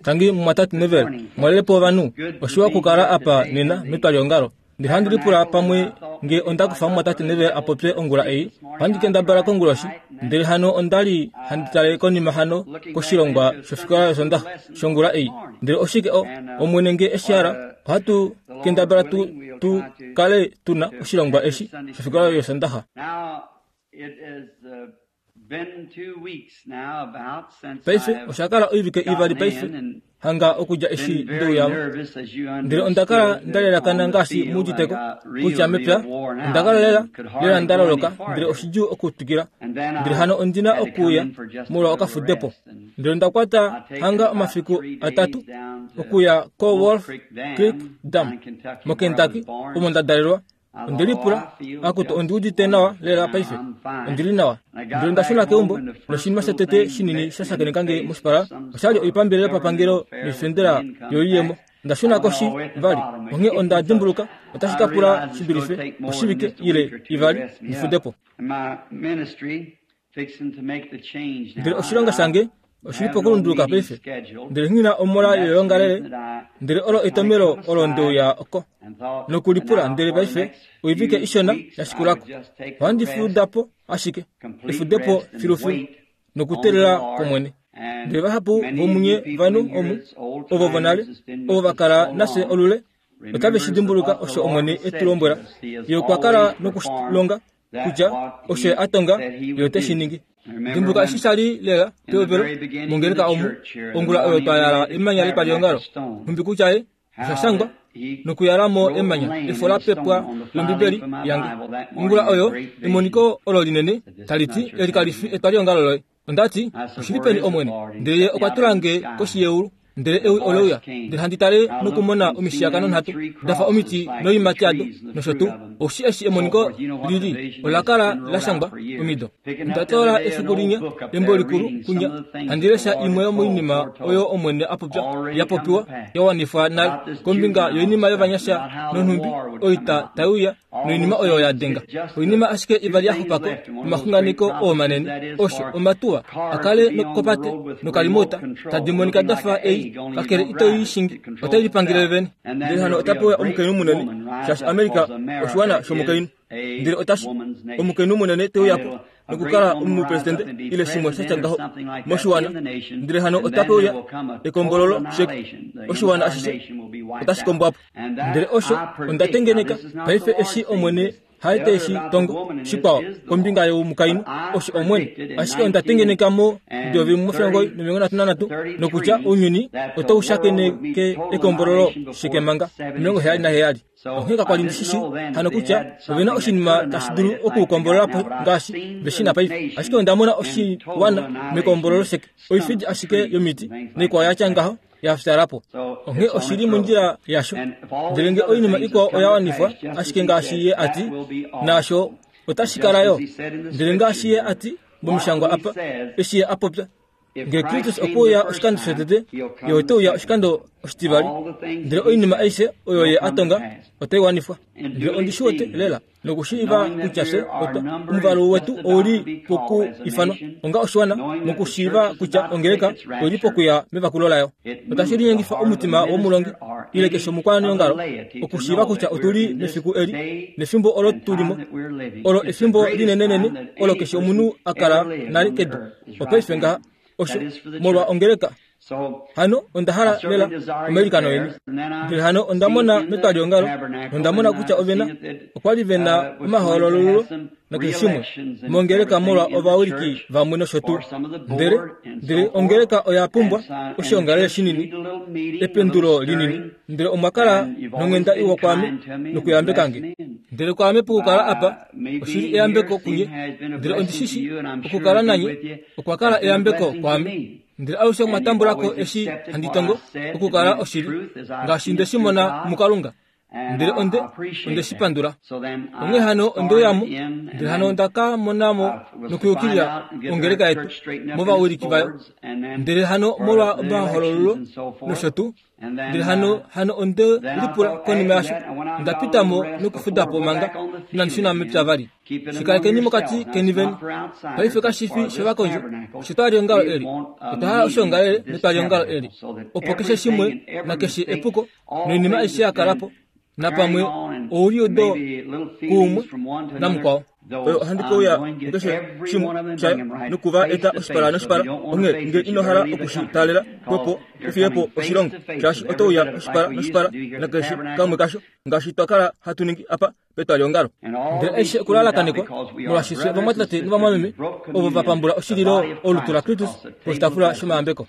Tangi mumwatate Neville, mwalele po ovanhu. Oshiwa okukala apa nena metwaliongalo. Ndele handi lipula pamwe nge onda kufa mumwatate Neville a popye ongula ei. Ohandi kendabala konguloshi. Ndele hano onda li handi tale konima hano koshilongwa shofikola yOsondaxa shongula ei. Ndele oshike o, Omwene nge e shi hala, ohatu kendabala tu, tu kale tu na oshilongwa eshi shofikola yOsondaxa. Paife osha kala oivike ivali paife hanga okudja eshi nde uya mo. Ndele onda kala nda lelakana ngaashi mu uditeko kutya mepya onda kala lela lela nda loloka ndele oshidjuu okutwikila. Ndele hano ondi na okuuya molwa okafudepo. Ndele onda kwata hanga omafiku atatu okuya koWolf Creek Dam moKentucky omo nda dalelwa. Onde lipula, Akutu, ondi udite nawa lela paife. Ondi li nawa. Ndele onda shuna keumbo, noshinima shotete shinini sha shakeneka nge moshipala osha li oipambele yopapangelo noifendela yoiyemo. Onda shuna koshi vali, onghee onda dimbuluka otashi ka pula shi dulife oshivike ile ivali ndi fude po. Ndele oshilonga shange oshi li pokulunduluka paife. Ndele nghi na omola yoyoongalele, ndele olo etomelo olo nde uya oko nokulipula. Ndele paife oivike ishona ya shikula ko, ohandi fuda po ashike, efudepo filufilu nokuteelela kOmwene. Ndele vahapu vomunye vanhu omu, ovo vonale, ovo va kala nafye olule, otave shi dimbuluka osho Omwene e tu lombwela. Ye okwa kala nokulonga kutya osho ye a tonga ye ote shi ningi. Dimbuluka eshi sha li lela pehovelo mongeleka omu, ongula oyo twa yala emanya lepaliongalo, nhumbi kutya ye osha shangwa nokuyala mo emanya efo la pepwa lOmbibeli yange. Ongula oyo emoniko olo linene tali ti, Eli kali fi etwaliongalo loye. Onda ti, Oshi li peni, Omwene? Ndele Ye okwa tula nge koshi yeulu, ndele ewi ole uya, ndele handi tale nokumona omishiyakano nhatu, da fa omiti noiimati yado, nosho tuu. Oushi eshi emoniko li li, ola kala la shangwa omido. Onda toola efiku linya embo likulu kunya, handi lesha imwe yomoinima oyo Omwene a popya, ya popiwa, ya wanifwa nale, kombinga yoinima yovanyasha nonhumbi oita tai uya, noinima oyo ya denga oinima ashike ivali ya xupa ko omaxunganeko oo manene osho omatuwa a kale nokopate nokalimota tadi monika da fa ei kakele ito i shingi otai lipangele vene ndele hano ota pewa omukainhu munene shaashi amerika oshiwana shomukainhu ndele otashi omukainhu munene te uya po nokukala omupresidente ile shimwe sha tya ngaho moshiwana ndele hano otape uya ekombololo sheke oshiwana ashishe otashi kombwa po ndele osho onda tengeneka paife eshi omwene haete eshi tongo shikwao kombinga yomukainhu osho omwene ashike onda tengeneka mo dovi mofilongo nomilongo nhatu nanhatu nokutya ounyuni otau shakeneke ekombololo sheke manga 77 Onghee kakwa li ndi shi shii hano kutya ove na oshinima tashi dulu okukombolola po ngaashi ve shi na paife. Ashike onda mona oshiwana mekombololo sheke, oifidi ashike yomiti naikwao ya tya ngaho ya fyaala po. Onghee oshi li mondjila yasho. Ndele nge oinima ikwao oya wanifwa ashike ngaashi Ye a ti, naasho otashi kala yo. Ndele ngaashi Ye a ti mOmishangwa apa, eshi Ye a popya, Nge Kristus okwe uya oshikando shotete, ye ote uya oshikando oshitivali. Ndele oinima aishe oyo ye a tonga otai wanifwa. Ndele ondi shi wete lela nokushiiva kutya fye otwa omuvalu wetu ou li poku ifanwa onga oshiwana mokushiiva kutya ongeleka oi li pokuya mevakulo layo. Otashi linyengifa omutima womulongi ile keshe omukwaneongalo okushiiva kutya otu li mefiku eli nefimbo olo tu li mo olo efimbo linenenene olo keshe omunhu a kala nale kedu. Opaife ngaha osho molwa ongeleka. Hano onda hala lela omailikano eni. Ndele hano onda mona metwaliongalo nonda mona kutya ove na okwa li ve na omahoololululo nakeshe shimwe mongeleka molwa ovawiliki vamwe nosho tuu. Ndele ndele ongeleka oya pumbwa oshiongalele shinini, ependulo linini. Ndele omwa kala nonghenda iwa kwaame nokuyambeka nge. Ndele kwaame pokukala apa oshi li eyambeko kunye, ndele ondi shi shi okukala nanye okwa kala eyambeko kwaame. Ndele alushe mwa tambula ko eshi handi tongo okukala oshili, ngaashi nde shi mona muKalunga. Ndele onde onde shi pandula. Onghee hano onde uya mo, ndele hano onda ka mona mo nokuyukilila ongeleka yetu movawiliki vayo. Ndele hano molwa omahololo nosho tuu, ndele hano hano onde lipula konima yasho, onda pita mo nokufuda po manga inandi shuna mepya vali. Shikalekeni mokati keni vene. Paife kashi fi shovakondje, oshetwaliongalo eli. Otwa hala oshoongalele netwaliongalo eli, opo keshe shimwe nakeshe epuko noinima aishe ya kala po, napamwe ouliudo kuumwe namukwao. Oyo ohandi ke uya mukeshe shimwe shayo noku va eta oshipala noshipala. Onghee nge ino hala oku shi taalela, xwepo u fiye po oshilongo, shaashi oto uya oshipala noshipala nakeshe kamwe kasho, ngaashi twa kala hatu ningi apa petwaliongalo. Ndele aishe okulalakanekwa, molwaashi fye ovamwatate novamwameme ovo va pambula oshililo olutu laKristus poshitaafula shomayambeko.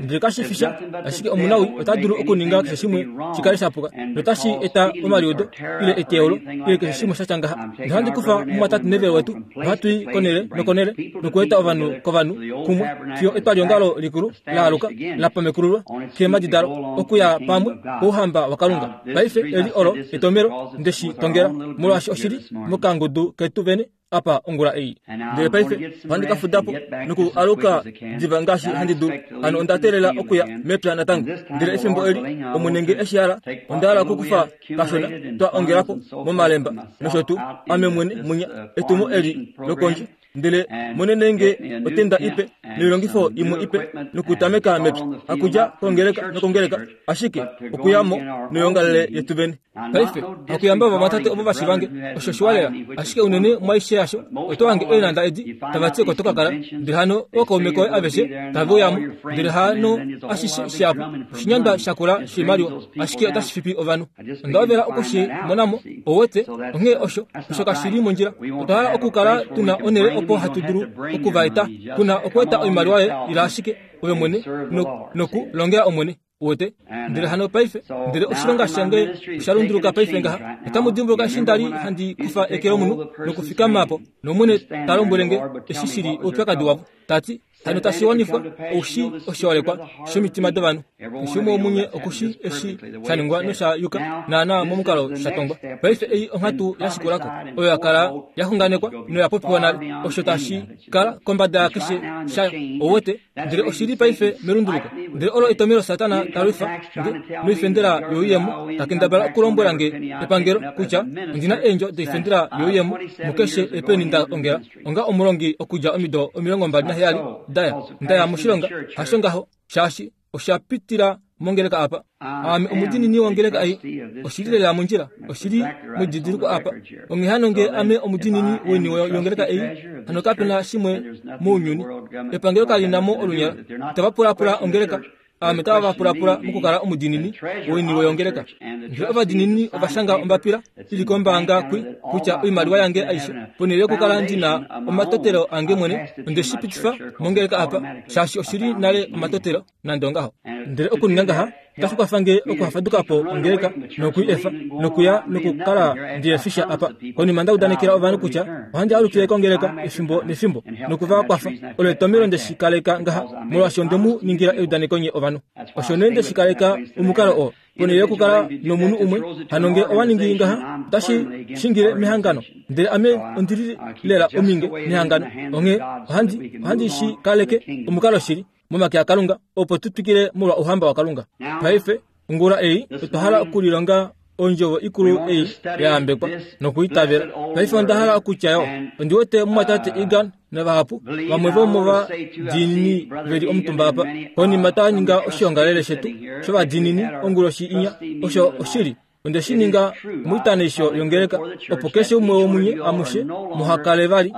Ndele kashi fi sha, ashike omunawii ota dulu okuninga keshe shimwe shi kale sha puka, notashi eta omaliudo, ile eteyaulo, ile keshe shimwe sha tya ngaha. Nohandi kufa mumwatate Neville wetu, nohatu i konhele nokonhele, nokueta ovanhu kovanhu kumwe, fiyo etwaliongalo likulu la aluka, la pamekululwa keemhadi dalo, okuya pamwe kOuhamba waKalunga. Paife eli olo etomhelo nde shi tongela, molwaashi oshi li mokangudu ketu vene apa ongula ei. Ndele paife ohandi ka fuda po noku aluka diva ngaashi handi dulu. Hano onda teelela okuya mepya natango. Ndele efimbo eli, Omwene nge eshi hala, onda hala okukufa kashona twa ongela po momalemba nosho tuu, ame mwene munya, etumo eli lokondje. Ndele monene nge otenda ipe noilongifo imwe ipe nokutameka mepya, hakudja kongeleka nokongeleka, ashike okuya mo noyoongalele yetu vene. Paife, hakuyamba ovamwatate ovo va shivange, osho shiwa lela, ashike unene mwaishe yasho, oto hange eenhanda edi tava ti oko to ka kala, ndele hano ookaume koye aveshe tave uya mo, ndele hano ashishe shihapu, oshinyandwa shakula shoimaliwa, ashike otashi fipi ovanhu. Onda hovela oku shi mona mo, ou wete, onghee osho, osho kashi li mondjila. Otwa hala okukala tu na onhele opo hatu dulu oku va eta, ku na okweeta oimaliwa yoye, ila ashike ove mwene no, noku longela Omwene. Uwete? Ndele hano paife, ndele oshilonga shange osha lunduluka paife ngaha. Otamu dimbuluka eshi nda li handi kufa eke lomunhu nokufikama po, nOmwene ta lombwele nge eshi shi li oupyakadi wavo, ta ti, Hano tashi wanifwa, ou shii oshiholekwa shomitima dovanhu. Keshe umwe womunye oku shii eshi sha ningwa nosha yuka naanaa momukalo sha tongwa. Paife ei onghatu ya shikula ko, oyo ya kala ya xunganekwa noya popiwa nale, osho tashi kala kombada yakeshe shayo. Ou wete? Ndele oshi li paife melunduluko. Ndele olo etomhelo Satana ta lwifa nge noifendela youyemo, ta kendabala okulombwela nge epangelo kutya ondi na eendjo doifendela youyemo mukeshe epeni nda ongela onga omulongi okudja omido 27 daya nda ya moshilonga. Hasho ngaho, shaashi osha pitila mongeleka apa. Aame omudiinini wongeleka ei. Oshi li lela mondjila. Oshi li medidiliko apa. Onghee hano nge ame omudiinini woiniwe yongeleka ei, hano kape na shimwe mounyuni. Epangelo kali na mo olunyala. Itava pulapula ongeleka. Aame tava va pulapula mokukala omudiinini woiniwe yongeleka. Ndele ovadiinini ova shanga ombapila i li kombaanga kwi kutya oimaliwa yange aishe, ponhele yokukala ndi na omatotelo ange mwene, onde shi pitifa mongeleka apa, shaashi oshi li nale omatotelo. nande ongaho. Ndele okuninga ngaha otashi kwafa nge okuhafaduka po ongeleka noku i efa nokuya nokukala ndi efisha apa. Konima nda udanekela ovanhu kutya ohandi alukile kongeleka efimbo nefimbo noku va kwafa. Olo etomhelo nde shi kaleka ngaha, molwaashi onde mu ningila eudaneko nye ovanhu. Osho nee nde shi kaleka omukalo oo. Ponhele yokukala nomunhu umwe, hano nge owa ningi ngaha, otashi shingile mehangano. Ndele ame ondi li lela ominge nehangano, onghee ohandi, ohandi shi kaleke omukalo shili. momake aKalunga opo tu twikile molwa Ouhamba waKalunga. Paife, ongula ei, otwa hala okulilonga ondjovo ikulu ei ya yambekwa nokuitavela. Paife onda hala okutya yo, ondi wete mumwatate Egan navahapu vamwe vomovadiinini ve li omutumba apa, konima twa ninga oshiongalele shetu shovadiinini onguloshi inya. Osho oshili. Onde shi ninga moitaneisho yongeleka, opo keshe umwe womunye amushe muha kale vali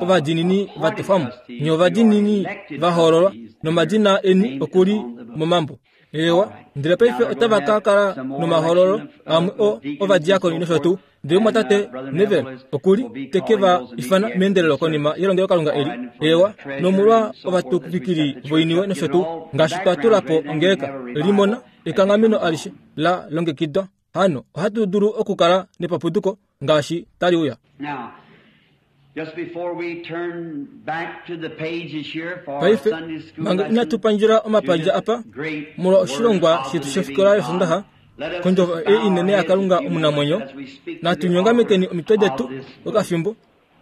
ovadiinini va tofwa mo. Nye ovadiinini va hoololwa, nomadina eni oku li momambo. Eewa, ndele paife otava ka kala nomahoololo amwe o ovadiakoni nosho tuu. Ndele omumwatate Neville oku li te ke va ifana meendelelo konima yelongelokalunga eli. Eewa, nomolwa ovatuvikili voiniwe nosho tuu, ngaashi twa tula po ongeleka, limona, ekanghameno alishe la longekidwa. Hano ohatu dulu okukala nepapuduko ngaashi tali uya. Paife, manga inatu pandjela omapandja apa molwa oshilongwa shetu shofikola yOsondaha, Kondjovo ei inene yaKalunga omunamwenyo, natu nyongamekeni omitwe detu okafimbo,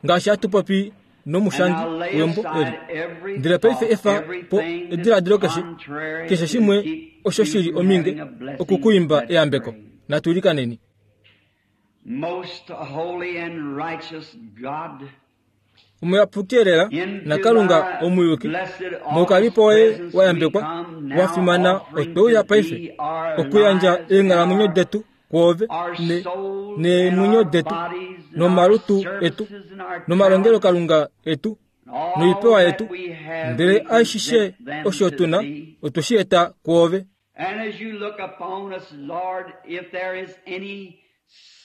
ngaashi hatu popi nomushangi wembo eli. Ndele paife efa po ediladilo keshe, keshe shimwe osho shi li ominge oku ku imba eyambeko. Natu ilikaneni. Omuyapuki elela naKalunga omuyuki, moukalipo woye wa yambekwa, wa fimana, otwe uya paife okuyandja eenghalamwenyo detu kwoove ne, neemwenyo detu nomalutu etu nomalongelokalunga etu noipewa yetu, ndele ashishe osho tu na otwe shi eta kwoove. And as you look upon us, Lord, if there is any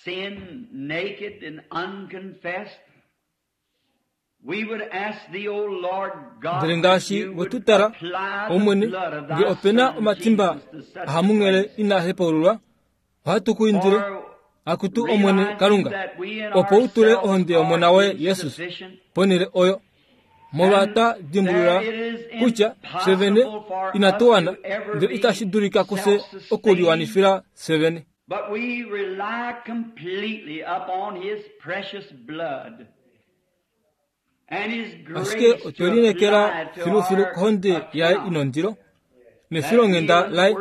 sin naked and unconfessed, we would ask thee, O Lord God, Ndele ngaashi we tu tala, Omwene, nge ope na omatimba ahamunghele inaa hepaululwa, ohatu ku indile, Akutu Omwene Kalunga, opo u tule ohonde yOmona woye Jesus ponhele oyo, molwa twa dimbulula kutya fye vene inatu wana, ndele itashi dulika kufye okuliwanifila fye vene. But we rely completely upon His precious blood and His Ashike grace otwe to lineekela apply to filufilu our kohonde yaye account inondilo nefilonghenda laye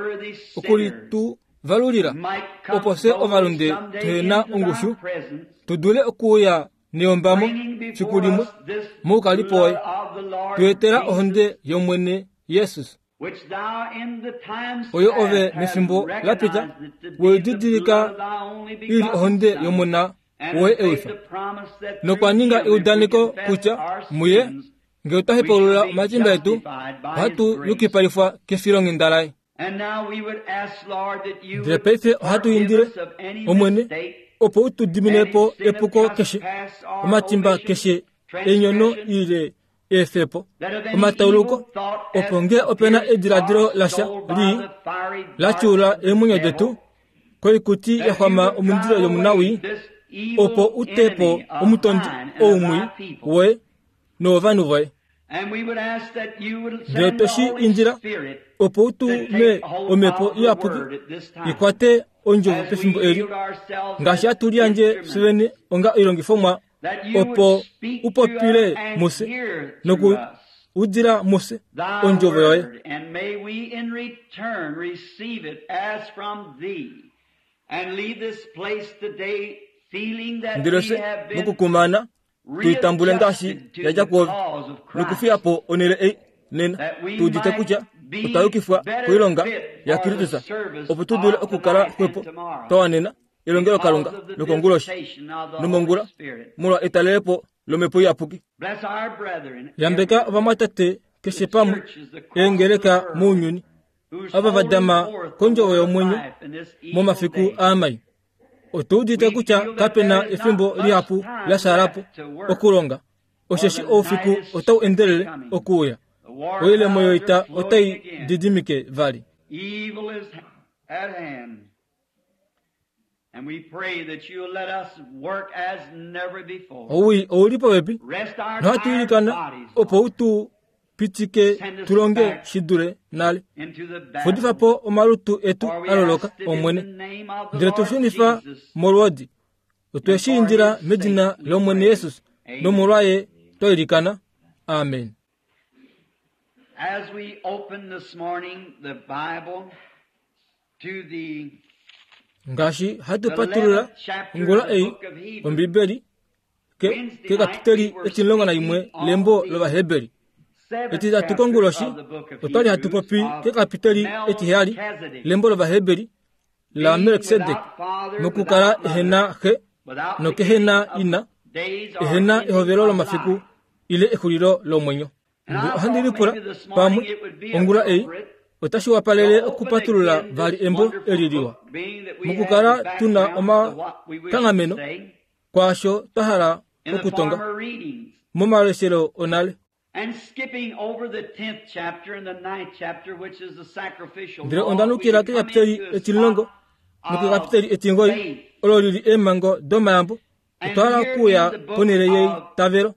oku li tu valulila, might come opo fye boldly ovalunde someday tuhe na into thy ongushu presence, tu dule okuuya neyombamo bringing fiku before limwe us this moukalipo blood woye, of the Lord tu etela Jesus, ohonde yOmwene Jesus, which thou in the times oyo ove past hast mefimbo la pita recognized it to be we the blood didilika of thy only i li begotten ohonde Son, yOmona and woye hast made ewifa. the promise that Nokwa through ninga him, if we eudaneko confess kutya our muye sins, ngee otwa we shall hepaulula be omatimba etu, justified by his ohatu grace. yukipalifwa kefilonghenda laye. And now we would ask, Lord, that you Ndele would paife ohatu forgive indile, us of any Omwene, mistake, opo u tu dimine any po sin of epuko keshe, trespass or omatimba omission, keshe enyono transgression, ile eefepo, that if any omatauluko, evil thought hath opo ngee ope na pierced ediladilo our lasha soul by lii the fiery la darts tyuula of the eemwenyo devil, detu koikuti that ya you xwama would omundilo drive yomunawii, away this evil opo u te po enemy of omutondi thine and of oumwii thy people. woye nowovanhu voye. And we would ask that you would Ndele send twe the shi Holy indila Spirit opo u to tume take hold omhepo of the iyapuki word at this time i kwate ondjovo as we pefimbo eli, yield ourselves ngaashi as hatu liyandje fye instruments, vene onga oilongifomwa that you opo would speak u to us popile and mufye hear noku through us udila mufye thy ondjovo yoye. word, and may we in return receive it as from thee, and leave this place today feeling that Ndele we fye have been mokukumana tuitambule ngaashi readjusted to yadja the kwoove cause of Christ, nokufiya po onhele ei nena that we tu udite might kutya be otwa yukifwa better koilonga fit for the yaKristus service opo tu dule of okukala tonight and xwepo tomorrow twa wanena elongelokalunga because of the lokonguloshi visitation of the Holy nomongula Spirit. molwa etalelepo lomhepo iyapuki. Bless our brethren Yambeka everywhere, ovamwatate keshe the pamwe churches across the eengeleka world mounyuni who's ava va holding dama forth the kondjovo word of yomwenyo life in this evil momafiku day. aamai. Otu udite We kutya feel that kape there na is not efimbo much lihapu time la xaala po left to work, okulonga, for osheshi the oufiku night is otau swiftly endelele coming. okuuya. The war Oilemo clouds are yoita floating otai again. didimike vali. Evil is at hand. And we pray that you'll let us work as never before. Owii ouli popepi Rest our nohatu tired ilikana bodies, opo Lord, u tu pitike Send us tu longe back shi dule nale. into the Fudifa battle. po omalutu etu For we a loloka, ask it in the Omwene, name of the ndele tu Lord shunifa Jesus molwoodi. Otwe and shi for indila his medina sake we lOmwene pray. Jesus Amen. nomolwaye twa ilikana. Amen. As we open this morning the Bible to the Ngaashi hatu patulula 11th chapter of ongula the ei book of Hebrews, Ombibeli ke Wednesday night kekapiteli we were 11 speaking on lembo the lOvaheberi. 7th Etitatu chapter konguloshi of the book of otwali hatu Hebrews popi of kekapiteli etiheyali Melchizedek, lembo lOvaheberi la being Melkisedek, without father, mokukala without mother, ehena xe without nokehena beginning of ina, days or ehena ending ehovelo of lomafiku life. ile exulilo lomwenyo. And Ndele I ohandi thought lipula maybe this morning pamwe it would be ongula ei appropriate otashi to wapalele open okupatulula again vali this embo wonderful eli liwa book, being that we have mokukala the tuna background to what we wish to omakanghameno say kwaasho twa hala in the okutonga former readings. momaleshelo onale. And skipping over the 10th chapter and the 9th chapter, which is the sacrificial Ndele law, onda we nukila would come kekapiteli into a 10 spot of nokekapiteli 9 faith. olo lili eemhango domayambo And otwa hala here in okuuya the book ponhele of yeitavelo.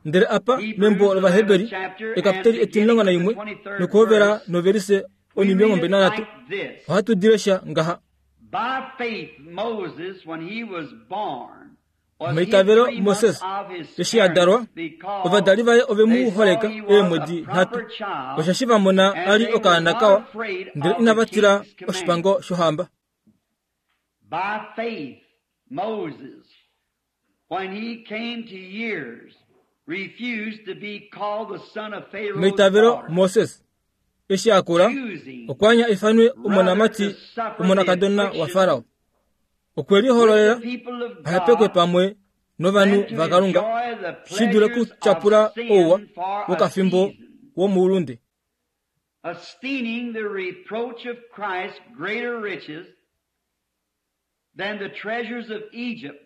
Ndele apa Hebrews, membo the 11th lOvaheberi chapter, and ekapiteli beginning at the 11 23rd nokuhovela verse, novelise we read it 23 like this. ohatu dilesha ngaha. Meitavelo Moses eshi a dalwa, ovadali vaye ove mu holeka eemwedi nhatu, osheshi va mona a li okaana kawa, ndele inava tila oshipango shohamba. By faith, Moses, when he came to years, refused to be called the son of Pharaoh's Meitavelo daughter, Moses eshi a kula, choosing okwa anya ifanwe omonamati omonakadona waFarao. Okwe lihololela with the people of a hepekwe God pamwe novanhu than to vaKalunga, enjoy the shi dule pleasures of okutyapula ouwa sin for a wokafimbo season, womoulunde. esteeming the reproach of Christ greater riches than the treasures of Egypt,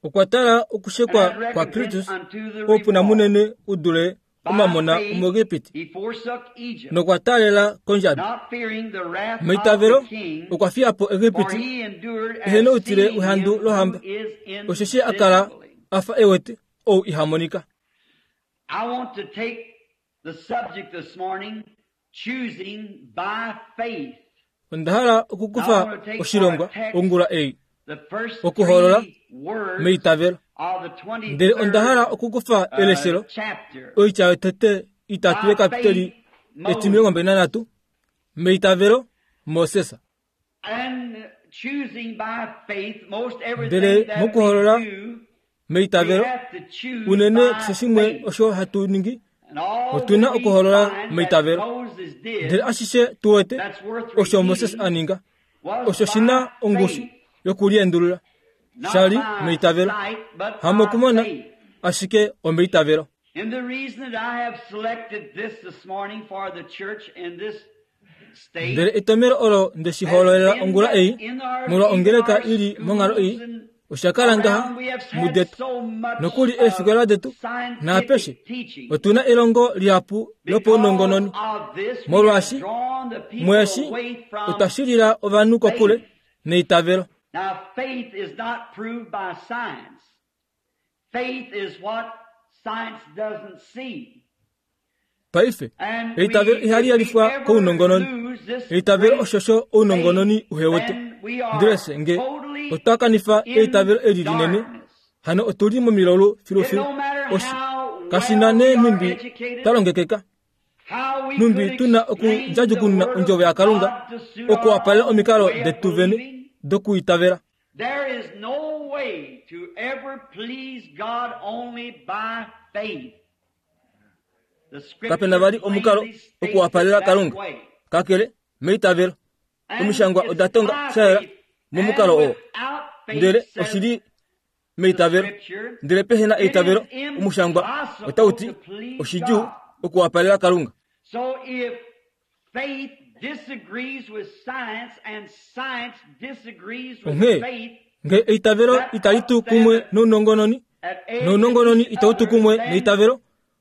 Okwa tala and okushekwa had kwa recompense Kristus unto the oupuna reward. munene u dule By omamona faith omuEgipiti, he forsook Egypt, nokwa taalela kondjabi. not fearing the wrath of Meitavelo the king, okwa fiya po for Egipiti he endured ehe as noutile seeing wehandu him lohamba, who is osheshi a kala invisible. a fa e wete ou iha monika. I want to take the subject this morning, choosing by faith. Onda hala Now I okukufa want to take for oshilongwa a text ongula ei the first okuhoolola three words meitavelo. of the Ndele onda hala 23rd okukufa eleshelo chapter. oitya yotete itatu By yekapiteli faith, Moses. etimilongo 23 meitavelo Moses. And choosing by faith, most Ndele everything that we mokuhoolola do, we meitavelo have to choose unene by keshe shimwe faith. osho hatu ningi And all otu na that we okuhoolola find that meitavelo. Moses did Ndele ashishe tu wete that's worth osho Moses repeating a ninga was osho shi na by ongushu faith, yokuliendulula not sha li by meitavelo, sight, but by hamokumona faith. ashike omeitavelo. And the reason that I have selected this morning for the church in this state Ndele etomelo olo nde shi has hoololela been ongula that ei in our, molwa even ongeleka our i li monghalo ei schools and osha kala ngaha around, we have had mudetu so much nokuli eefikola detu naapeshe scientific teaching. otuna elongo lihapu Because lopaunongononi. of this, we have Molwaashi drawn the people mweshi away from otwa shilila ovanhu kokule faith. neitavelo. Now, faith is not proved by science. Faith is what science doesn't see. Paife And eitavelo we, ihali if we yalifwa ever kounongononi. lose this Eitavelo great oshosho faith, ounongononi uhewete. then we are Ndele nge totally otwa kanifa in eitavelo eli linene, darkness. hano otuli momilolo It filufilu. no matter Oshi how kashi na well nee we are nhumbi educated, twa longekeka, how we nhumbi could tuna explain the okundjadjukununa Word of ondjovo yaKalunga God to suit our okuwapalela own omikalo way of detu vene believing, dokuitavela. there is no way to ever please God only by faith. The Kapena Scripture vali omukalo plainly states it okuwapalela that Kalunga way. kakele meitavelo. And Omishangwa it's oda tonga by sha yela faith. And momukalo oo, without faith, ndele says oshili the meitavelo. Scripture, Ndele pehe na it is eitavelo, omushangwa otau impossible ti to please oshidjuu God. okuwapalela Kalunga. So if faith disagrees with science and science disagrees with Onghee faith, nge eitavelo that itali puts tu them kumwe nounongononi, at edge with nounongononi each itau tu other, kumwe then neitavelo,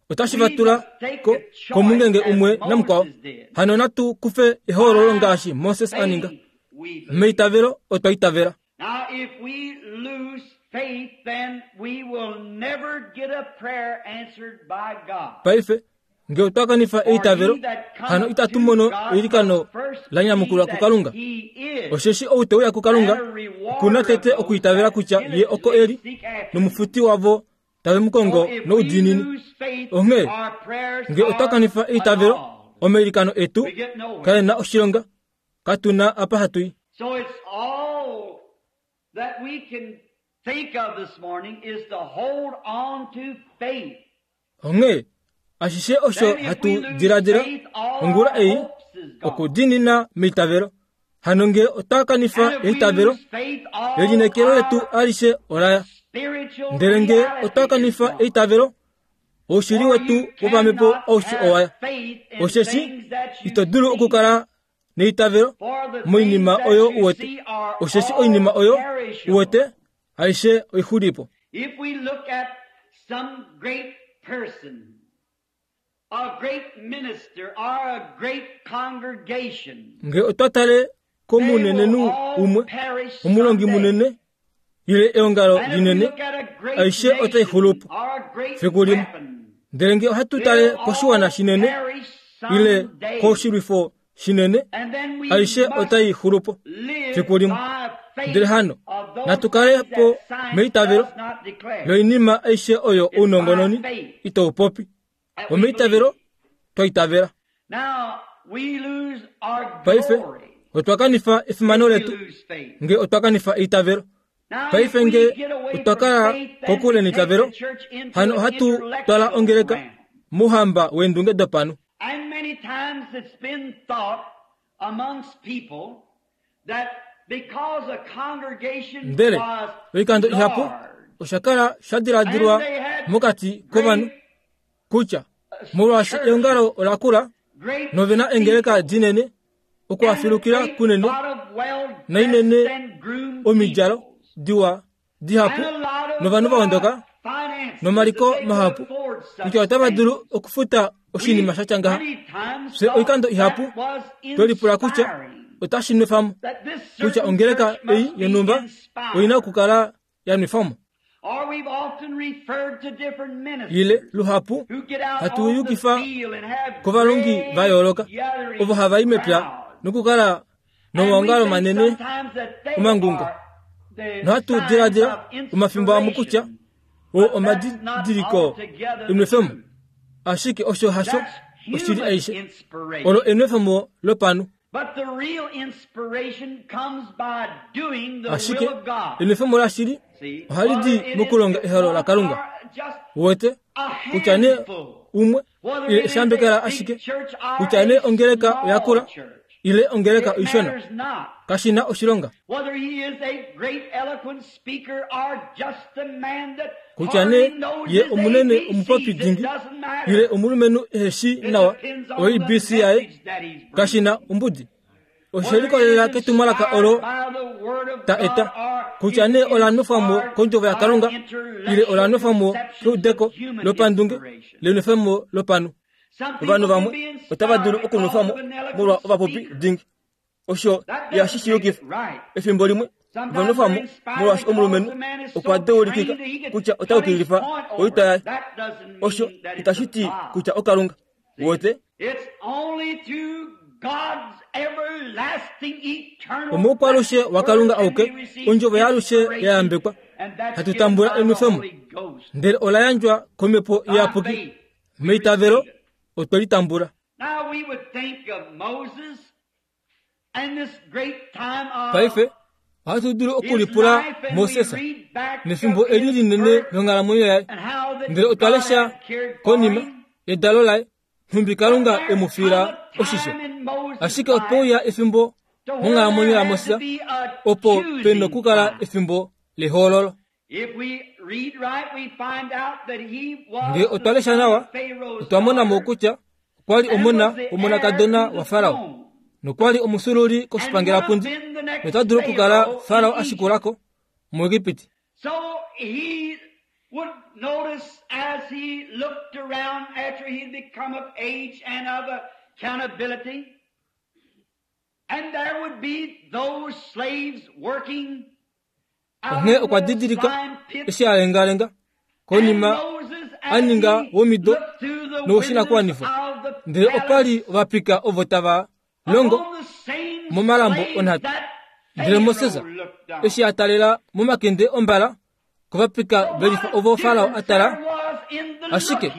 otashi va we tula must take ko a choice komungenge as umwe namukwao. Moses did. Hano natu kufe ehoololo By ngaashi Moses a ninga. faith we believe. Meitavelo otwa itavela. Now, if we lose faith, then we will never get a prayer answered by God. Paife nge otwa kanifa For eitavelo, he that hano cometh itatu to mono God eilikano must first la believe nyamukulwa that kuKalunga. he is, Osheshi ou te uya kuKalunga and a okuna rewarder of tete those okuitavela that kutya ye oko diligently eli seek after him. nomufuti wavo tave mu So kongo if we noudiinini. lose faith, Onghee our prayers nge otwa are kanifa eitavelo, annulled. omailikano etu We get nowhere. kae na oshilonga, katuna apa hatu i. So it's all that we can think of this morning is to hold on to faith. Onghee ashishe osho Then if we hatu lose diladila faith, all ongula our ei hopes is gone. okudiinina meitavelo. Hano nge otwa kanifa And if we eitavelo, lose faith, all elineekelo letu our alishe olaya. spiritual Ndele nge reality otwa is kanifa gone. eitavelo, oushili For wetu you wopamhepo cannot aushe have owaya. faith in Osheshi things that you ito dulu see. okukala neitavelo For the moinima things oyo that you uwete. see are Osheshi all oinima oyo perishable. uwete aishe oixulipo. If we look at some great person, a great minister, or a great congregation, Nge otwa tale they will komunenenhu all umwe, perish omulongi someday. munene, ile eongalo And if we linene, look at a great aishe otai nation xulupo or a great fiku limwe. weapon, Ndele nge ohatu tale they'll koshiwana all shinene perish ile someday. koshilwifo shinene, aishe otai xulu po fiku limwe. Ndele hano natu kale po meitavelo loinima aishe oyo ounongononi itau popi. Omeitavelo twa itavela. Paife otwa kanifa efimano letu nge otwa kanifa eitavelo. Paife nge otwa kala kokule neitavelo, hano ohatu twala ongeleka mouhamba weendunge dopanhu. Ndele oikando ihapu osha kala sha diladilwa mokati kovanhu kutya molwaashi eongalo ola kula nove na eengeleka dinene, okuhafilukila kunene nainene omidjalo diwa dihapu novanhu va ondoka nomaliko mahapu kutya otava dulu okufuta oshinima sha tya ngaha. Fye oikando ihapu twe lipula kutya otashi nwefa mo kutya ongeleka ei yonhumba oi na okukala ya nwefa mo. Ile luhapu hatu yukifa kovalongi va yooloka ovo hava i mepya nokukala nomaongalo manene omangungo. Nohatu diladila omafimbo amwe kutya oo omadidiliko enwefemo, ashike osho hasho oshili aishe. Olo enwefemo lopanhu. Ashike enwefemo lashili ohali di mokulonga ehalo laKalunga. Uwete kutya nee umwe ile eshambekela ashike kutya nee ongeleka oya kula ile ongeleka oishona kashi na oshilonga. Kutya nee ye omunene omupopi dingi ile omulumenhu ehe shii nawa oABC yaye kashi na ombudi. Oshe likolelela ketumwalaka olo ta eta, kutya nee ola nwefwa mo kOndjovo yaKalunga ile ola nwefwa mo keudeko lopandunge lenwefemo lopanhu. Ovanhu vamwe otava dulu okunwefwa mo molwa ovapopi dingi. Osho ihashi shi yukifa. Efimbo limwe ova nwefwa mo molwaashi omulumenhu okwa deulikika kutya ota yukililifa oitwa yaye. Osho itashi ti kutya oKalunga. Uwete? Omoukwalushe waKalunga auke, Ondjovo yaalushe ya yambekwa, hatu tambula enwefemo, ndele ola yandjwa kOmhepo Iyapuki. Meitavelo otwe li tambula. Paife ohatu dulu okulipula Moses nefimbo eli linene longhalamwenyo yaye, ndele otwa lesha konima yedalo laye nhumbi Kalunga e mu fiila oshisho. Ashike ope uya efimbo monghalamwenyo yaMoses opo pe nokukala efimbo lehoololo. Ngee otwa lesha nawa, otwa mona mo kutya okwa li omona womonakadona waFarao nokwa li omufyuululi koshipangelapundi nota dulu okukala Farao a shikula ko muEgipiti. Onghee okwa didilika eshi a lengalenga konima a ninga womido nowoshinakuwanifwa, ndele opa li ovapika ovo tava longo momalambo onhata. Ndele Moses eshi a talela momakende ombala kovapika velifa ovo Farao a tala, ashike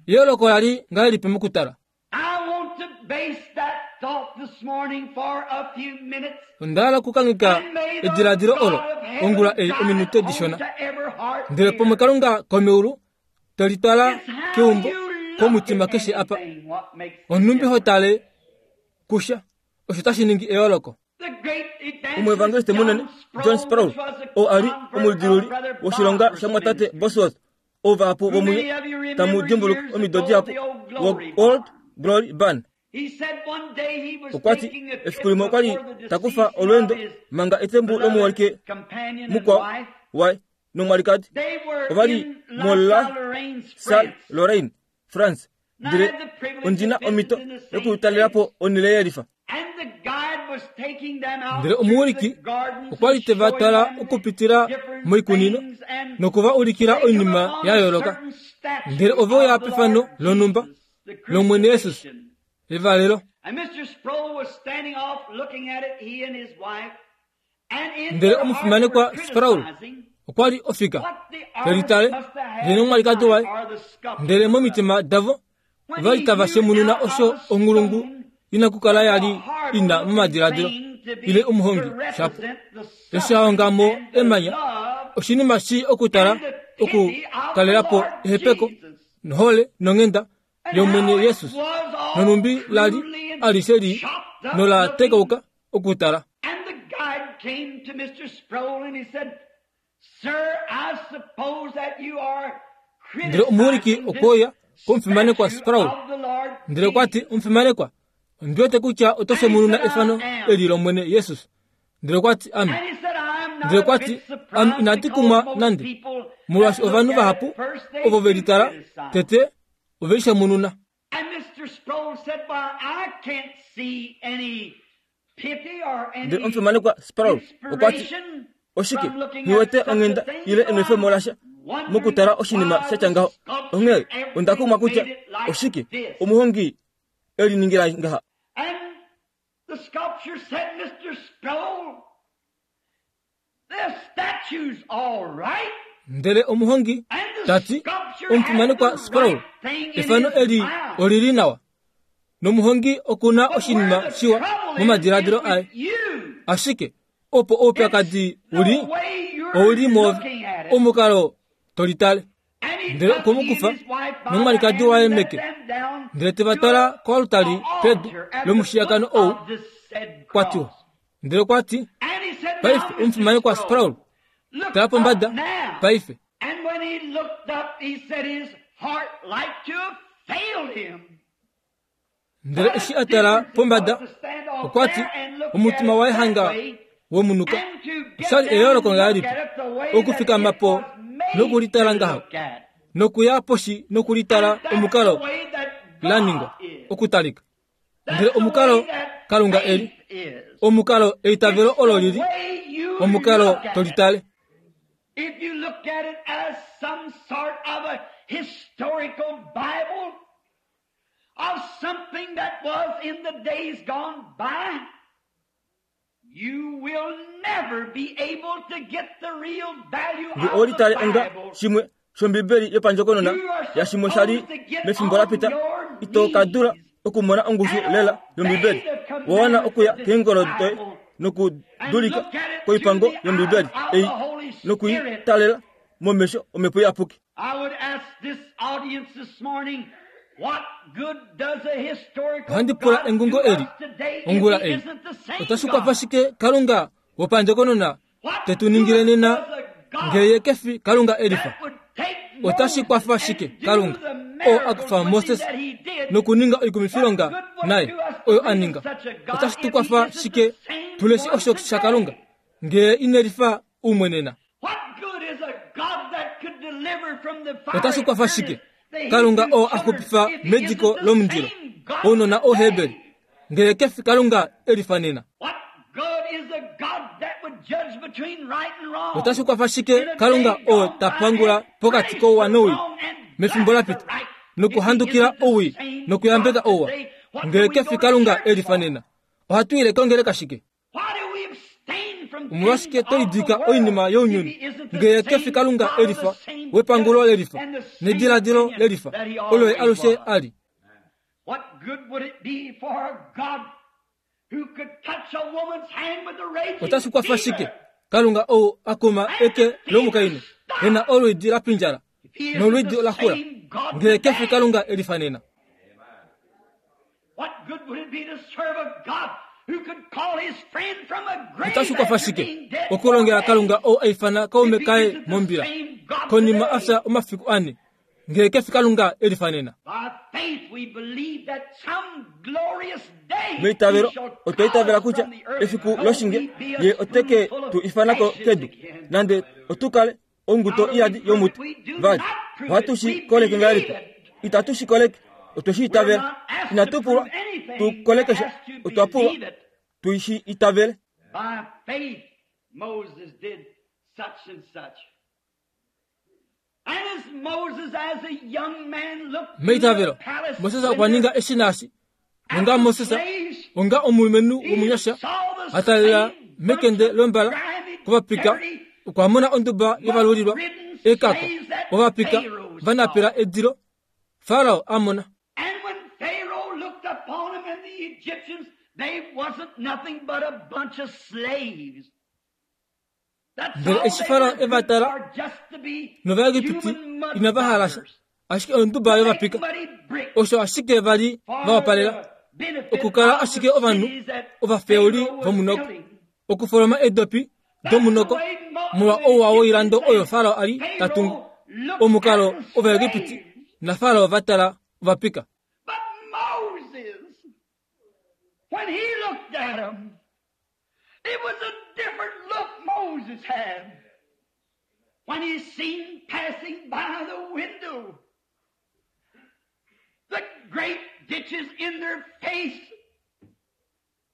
eyooloko ola li ngahelipi mokutala? Onda hala okukangheka ediladilo olo ongula ei ominute dishona. Ndele pomwe Kalunga komeulu te litwala keumbo komutima keshe apa. Onhumbi ho tale kusha, osho tashi ningi eyooloko. Omuevangeliste munene John Sproul, oo a li omulidiluli woshilonga shamwatate Bosworth, ou vahapu vomunye tamu dimbuluka omido dihapu, wo-Old Glory Barn. Okwa ti efiku limwe okwa li ta kufa olweendo manga etembu lomuholike mukwao waye nomwalikadi ova li moLa Salle Lorraine, France, ndele ondi na omhito yokutalela po onhele yelifa. Ndele omuwiliki okwa li te va twala okupitila moikunino noku va ulikila oinima ya yooloka. Ndele ove uya pefano lonhumba lOmwene Jesus, evalelo. Ndele omufimanekwa Sprawl okwa li ofika te litale ye nomwalikadi waye, ndele momitima davo ova li tava shemununa osho onghulungu ina kukala ya li ina momadiladilo ile omuhongi shapo eshi a honga mo emanya oshinima shii okutala okukalela po ehepeko nohole nonghenda yOmwene Jesus nonhumbi la li alishe li nola tekauka okutala. Ndele omuwiliki okwe uya komufimanekwa Sprawl ndele okwa ti, Omufimanekwa, ondi wete kutya oto shemununa efano eli lOmwene Jesus. Ndele okwa ti, Ame. Ndele okwa ti, Ame inandi kumwa nande, molwaashi ovanhu vahapu ovo ve litala tete ove lishemununa. Ndele omufimanekwa Sprawl okwa ti, Oshike, nghi wete onghenda ile enwefemo lasha mokutala oshinima sha tya ngaho. Onghee onda kumwa kutya oshike omuhongi e liningila ngaha. The sculpture said, Mr. Sproul, the statue's all right. Ndele omuhongi ta ti, Omufimanekwa Sproul, efano eli oli li nawa. Nomuhongi oku na oshinima shiwa momadiladilo aye. Ashike opo oupyakadi u li, ou li mwoove, omukalo to litale. Ndele okwe mu kufa nomwalikadi waye meke, ndele te va twala koalutali pedu lomushiyakano ou kwa tiwa. Ndele okwa ti, Paife, omufimanekwa Sprawl, tala pombada paife. Ndele eshi a tala pombada, okwa ti, omutima waye hanga wemunuka. Oshali eyooloko ngahelipi okufikama po nokulitala ngaho, nokuya poshi nokulitala omukalo la ningwa okutalika. Ndele omukalo Kalunga e li, omukalo eitavelo olo li li, omukalo to litale. If you look at it as some sort of a historical Bible, of something that was in the days gone by, you will never be able to get the real value Nge of owe litale the onga Bible. shimwe shOmbibeli yopandjokonona yashimwe sha li mefimbo la pita, ito ka dula okumona ongushu lela yOmbibeli. Owa wana okuya keengolo doye nokudulika koipango yOmbibeli ei noku i talela momesho Omhepo Iyapuki. Ohandi pula engungo eli ongula ei, Otashi kwafa shike Kalunga wopandjokonona te tu ningile nena ngee ye ke fi Kalunga e lifa? Otashi kwafa shike Kalunga oo a kufa Moses nokuninga oikumifilonga naye oyo a ninga? Otashi tu kwafa shike tu leshe osho shaKalunga ngee ine lifa umwe nena? Otashi kwafa shike Kalunga oo a xupifa mediko lomundilo ounona Ouheberi ngee ke fi Kalunga e lifa nena? Otashi kwafa shike Kalunga oo ta pangula pokati kouwa nowii mefimbo la pita nokuhandukila owii nokuyambeka ouwa ngee ke fi Kalunga e lifa nena? Ohatu ile kongeleka shike? Omolwashike to lidilika oinima younyuni ngee ke fi Kalunga e lifa, wepangulo le lifa, nediladilo le lifa, olo ye alushe a li? Otashi kwafa shike Kalunga ou a kuma eke lomukainhu e na olwiidi la pindjala nolwiidi la xula, ngee ke fi Kalunga e lifa nena? Otashi kwafa shike okulongela Kalunga ou a ifana kaume kaye mombila konima a fya omafiku ane, ngee ke fi Kalunga e lifa nena? Meitavelo otwa itavela kutya efiku loshinge ye ote ke tu ifana ko kedu, nande otu kale onguto iyadi yomuti. Vali, ohatu shi koleke ngahelipi? Itatu shi koleke, otwe shi itavela. Inatu pulwa tu koleke sha, otwa pulwa tu shi itavele. By faith, Moses did such and such. And as Moses, as a young man, looked through the Meitavelo, palace Moses okwa window, ninga eshi naashi. Onga Moses, onga omulumenhu womunyasha a talela mekende lombala kovapika, okwa mona onduba yovalulilwa ekako, ovapika va napela edilo, Farao a mona. Ndele eshi Farao e va tala, nOvaegipiti inava hala sha, ashike onduba yovapika, osho ashike va li va wapalela, okukala ashike ovanhu ovafeuli vomunoko, okufoloma eedopi domunoko molwa ouwa woilando oyo Farao a li ta tungu. Omukalo Ovaegipiti naFarao va tala ovapika. It was a different look Moses had when he seen passing by the window the great ditches in their face.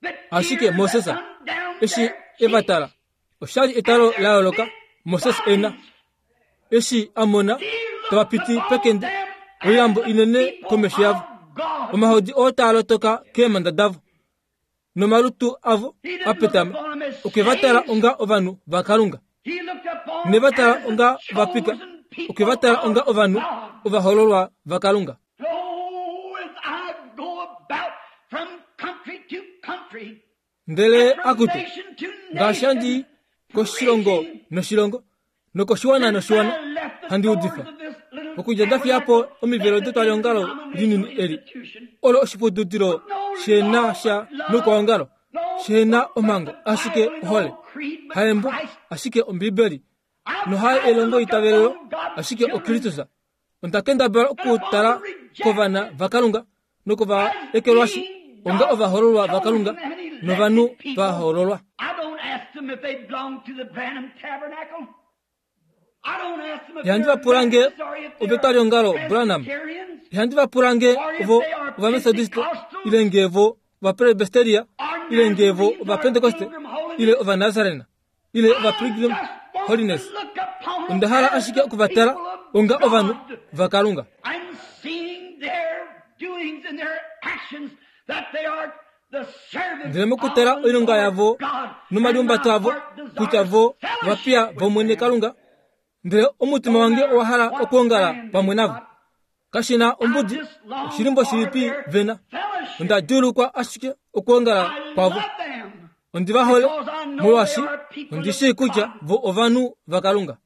The Ashike tears Moses that run down eshi their e va cheeks tala, osha li etalo la yooloka Moses e na. Eshi a mona tava piti pekende, oilambo inene komesho yavo, omahodi oo taa lotoka keemhanda davo, nomalutu avo a petama, okwe va tala onga ovanhu vaKalunga. Ne va tala onga ovapika, okwe va tala onga ovanhu ovahoololwa vaKalunga. Ndele akutu, ngaashi handi i koshilongo noshilongo, nokoshiwana noshiwana, handi udifa, okudja nda fiya po omivelo detwaliongalo linini eli, olo oshiputudilo she na sha noukwaongalo, she na omhango, ashike ohole, haembo, ashike Ombibeli, nohaye elongoitavelelo, ashike oKristus. Onda kendabala okutala kovana vaKalunga nokovaekelwashi onga ovahoololwa vaKalunga novanhu va hoololwa. Ihandi va pula nge ovetwaliongalo Branham. Ihandi va pula nge ovo Ovamethodiste ile nge vo Ovapresbyteria ile nge vo Ovapentekoste ile Ovanazarena ile Ovapilgrim Holiness. Onda hala ashike oku va tala onga ovanhu vaKalunga. Ndele mokutala oilonga yavo nomaliumbato avo, kutya vo ovapiya vOmwene Kalunga, ndele omutima wange owa hala okwoongala pamwe navo. Kashi na ombudi oshilimbo shilipi ve na, onda djuulukwa ashike okwoongala kwavo. Ondi va hole, molwaashi ondi shii kutya vo ovanhu vaKalunga.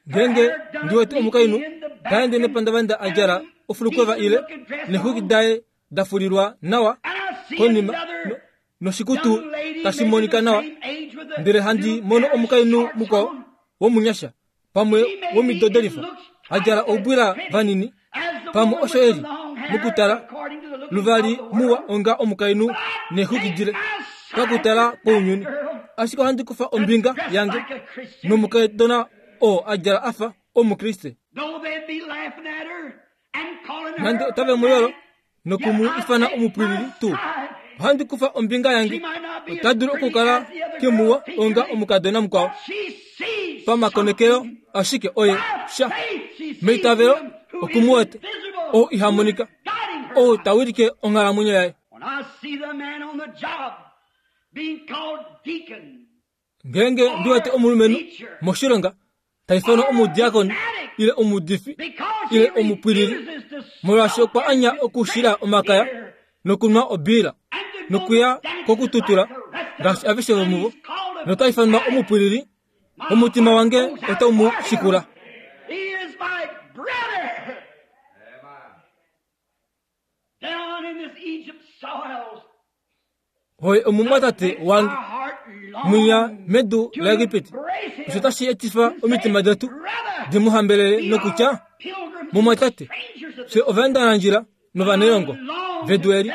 Ngeenge ndi wete omukainhu ta ende nepandavanda a djala ofulukweva ile neexwiki daye da fulilwa nawa konima noshikutu tashi monika nawa, ndele handi mono omukainhu mukwao womunyasha pamwe womido delifa a djala oubwila vanini, pamwe osho e li mokutala luvali muwa onga omukainhu neexwiki dile pakutala kwounyuni. Ashike ohandi kufa ombinga yange nomukadona oo a djala a fa Omukriste. Nande otave mu yolo noku mu ifana omupwilili tuu, ohandi kufa ombinga yange. Ota dulu okukala kemuwa onga omukadona mukwao pamakonekelo, ashike oye sha meitavelo oku mu wete, oo iha monika, ou ta wilike onghalamwenyo yaye. Ngeenge ndi wete omulumenhu moshilonga ta ifanwa omudiakoni ile omuudifi ile omupwilili, molwaashi okwa anya okushila omakaya nokunwa obiila nokuya kokututula ngaashi aveshe vomuvo, nota ifanwa omupwilili, omutima wange otau mu shikula. Oye omumwatate wange mwinya medu laEgipiti. Osho tashi etifa omitima detu di mu hambelele nokutya, Mumwatate, fye ovaendanandjila novanailongo vedu eli,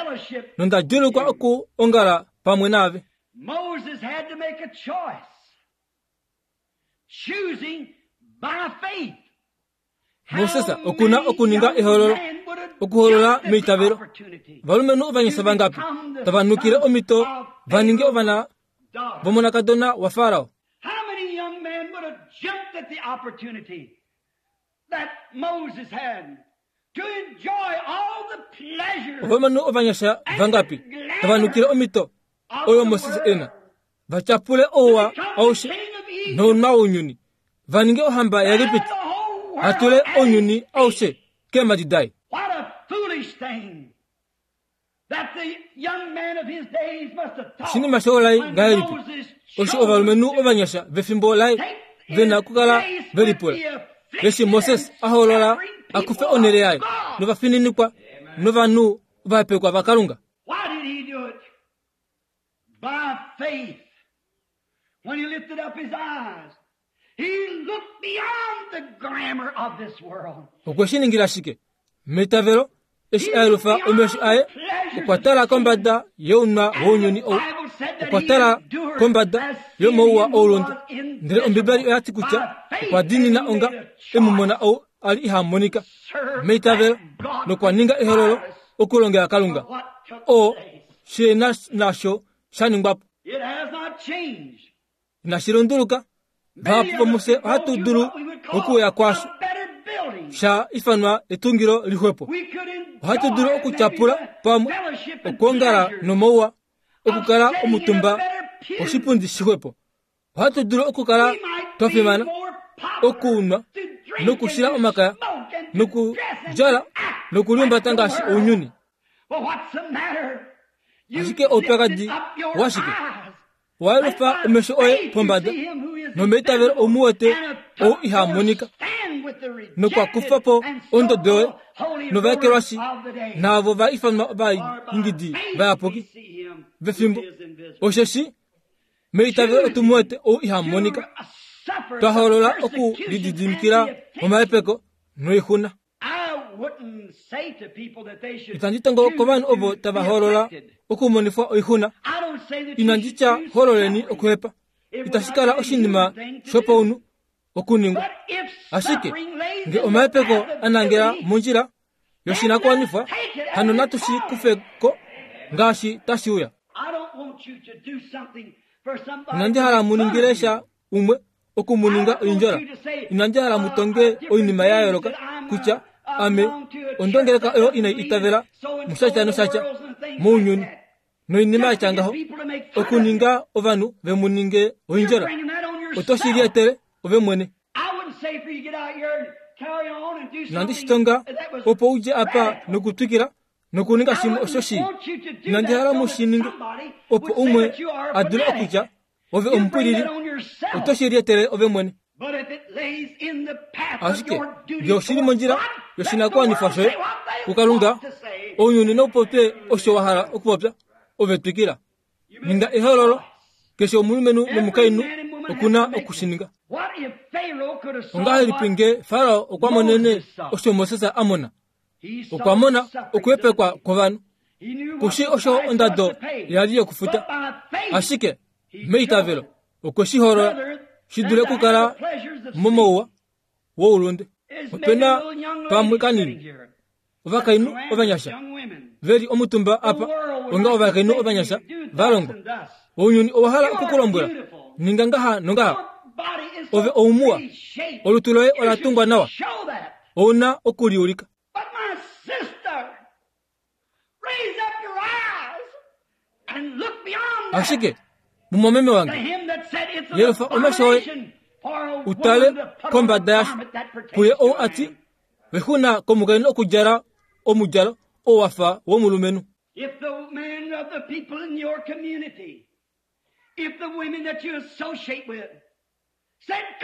nonda djuulukwa okuongala pamwe naave. Moses had to make a choice, choosing by faith. Moses oku na okuninga ehoololo, okuhoolola meitavelo. Ovalumenhu ovanyasha vangapi tava nukile omhito va ninge ovana vomonakadona waFarao? Ovalumenhu ovanyasha vangapi tava nukile omhito oyo Moses e na, va tyapule ouwa aushe nounwa wounyuni, va ninge ohamba yaEgipiti, va tule ounyuni aushe keemhadi daye. Oshinima shoulai ngahelipi osho ovalumenhu ovanyasha vefimbo laye ve na okukala ve lipula eshi Moses a hoolola a kufe onhele yaye novafininikwa novanhu ovahepekwa vaKalunga. Okwe shi ningila shike? Meitavelo, eshi a yelufa omesho aye, okwa tala kombada younwa wounyuni ou. Okwa tala kombada yomauwa oulunde. Ndele Ombibeli oya ti kutya okwa diinina onga e mu mona ou a li iha monika. Meitavelo, nokwa ninga ehololo okulongela Kalunga, oo she na nasho sha ningwa po. Inashi lunduluka. Vahapu vomufye ohatu dulu okuuya kwaasho sha ifanwa etungilo lixwepo. Ohatu dulu okutyapula pamwe, okwoongala nomauwa, okukala omutumba koshipundi shixwepo. Ohatu dulu okukala twa fimana, okunwa nokushila omakaya nokudjala nokuliumbata ngaashi ounyuni. Ashike oupyakadi washike? Owa yelufa omesho oye pombada, nomeitavelo ou mu wete ou iha monika, nokwa kufa po ondodo yoye novaekelwashi naavo va ifanwa ovaingidi vayapuki vefimbo. Osheshi meitavelo otu mu wete ou iha monika, twa hoolola okulididimikila omahepeko noixuna. Itandi tongo kovanhu ovo tava hoolola okumonifwa oixuna. Inandi tya hoololeni okuhepa. Itashi kala oshinima shopaunhu okuningwa. Ashike nge omahepeko a nangela mondjila yoshinakuwanifwa, hano natu shi kufe ko ngaashi tashi uya. Inandi hala mu ningile sha umwe oku mu ninga oindjola. Inandi hala mu tonge oinima ya yooloka kutya ame ondongeleka oyo inai itavela mushatya noshatya mounyuni noinima ya tya ngaho, okuninga ovanhu ve mu ninge oindjola. Oto shi lietele ove mwene. Inandi shi tonga opo u dje apa nokutwikila nokuninga shimwe osho shii. Inandi hala mu shi ninge opo umwe a dule okutya Ove omupwilili, oto shi lietele ove mwene. Ashike nge oshi li mondjila yoshinakuwanifwa shoye kuKalunga, ounyuni nau popye osho wa hala okupopya, ove twikila. Ninga ehoololo. Keshe omulumenhu nomukainhu oku na oku shi ninga. Ongahelipi nge Farao okwa monene osho Moses a mona? Okwa mona okuhepekwa kwovanhu. Kushi osho ondado ya li yokufuta. Ashike meitavelo okwe shi holola shi dule okukala momouwa woulunde. Ope na pamwe kanini ovakainhu ovanyasha ve li omutumba apa onga ovakainhu ovanyasha va longwa. Ounyuni owa hala oku ku lombwela, Ninga ngaha nongaha. Ove oumuwa. Olutu loye ola tungwa nawa. Ou na oku li ulika. Ashike, mumwameme wange, yelufa omesho oye u tale kombada yasho, kuye ou a ti, Vexuna komukainhu okudjala omudjalo oo wa fa womulumenhu.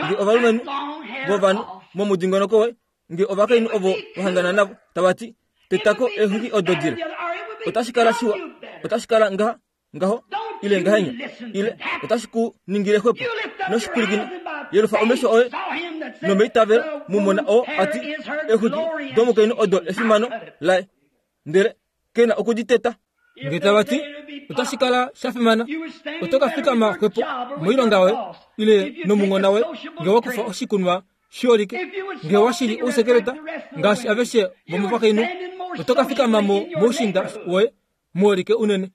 Nge ovalumenhu vovanhu momudingonoko woye, nge ovakainhu ovo wa hangana navo tava ti, Teta ko eexwiki odo dile, otashi kala shiwa, otashi kala ngaha, ngaho, ile ngahenya, ile otashi ku ningile xwepo. Noshipwilikine, yelufa omesho oye nomeitavelo mu mona oo a ti, Eexwiki domukainhu odo efimano laye. Ndele ke na oku di teta. Nge tava ti, Otashi kala sha fimana, oto ka fikama xwepo moilonga yoye ile nomunghona woye nge wa kufa oshikunwa shiholike, nge wa shili ousekeleta ngaashi aveshe vomovakainhu, oto ka fikama mo moushinda woye muholike unene.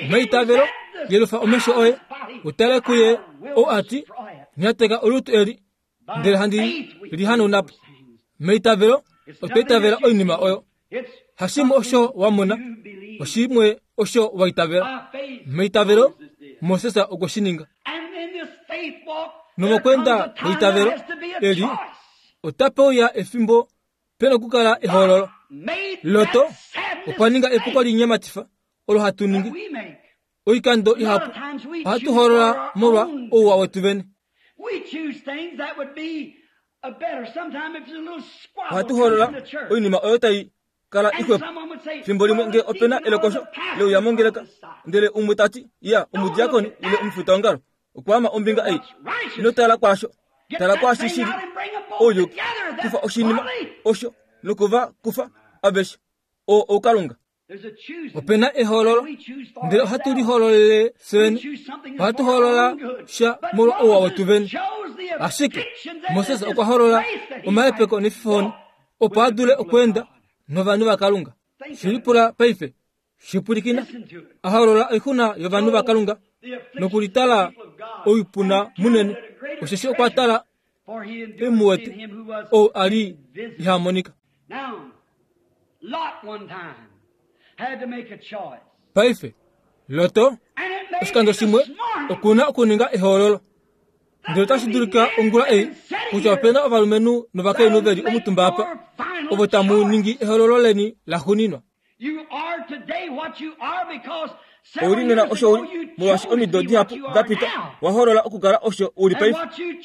Meitavelo, yelufa omesho oye u tale kuye ou a ti, Nyateka olutu eli, ndele handi li hanauna po. Meitavelo, otwa itavela oinima oyo. Hashimwe osho wa mona, oshimwe osho wa itavela. Meitavelo, Moses okwe shi ninga. Nomokweenda kweitavelo eli, otape uya efimbo pe nokukala ehoololo. Loto okwa ninga epuko linyematifa olo hatu ningi. Oikando ihapu ohatu hoolola molwa ouwa wetu vene. Ohatu hoolola oinima oyo tai kala ixwepo. Fimbo limwe nge ope na elekosho leuya mongeleka, ndele umwe ta ti, Ya, omudiakoni ile omufitaongalo okwa ama ombinga ei. Ino tala kwaasho. Tala kwaashi shi li ouyuki. Kufa oshinima osho noku va kufa aveshe. Oo oukalunga. Ope na ehoololo, ndele ohatu lihoololele fye vene. Ohatu hoolola sha molwa ouwa wetu vene. Ashike Moses okwa hoolola omahepeko nefifohoni opo a dule okweenda novanhu vaKalunga. Shi lipula paife, shi pwilikina. A hoolola oixuna yovanhu vaKalunga nokulitala oipuna munene, osheshi okwa tala e mu wete ou a li iha monika. Paife, Loto, oshikando shimwe, oku na okuninga ehoololo. Ndele otashi dulika ongula ei kutya ope na ovalumenhu novakainhu ve li omutumba apa ovo tamu ningi ehoololo leni laxuuninwa. Ou li nena osho u li, molwaashi omido dihapu da pita wa hoolola okukala osho u li paife.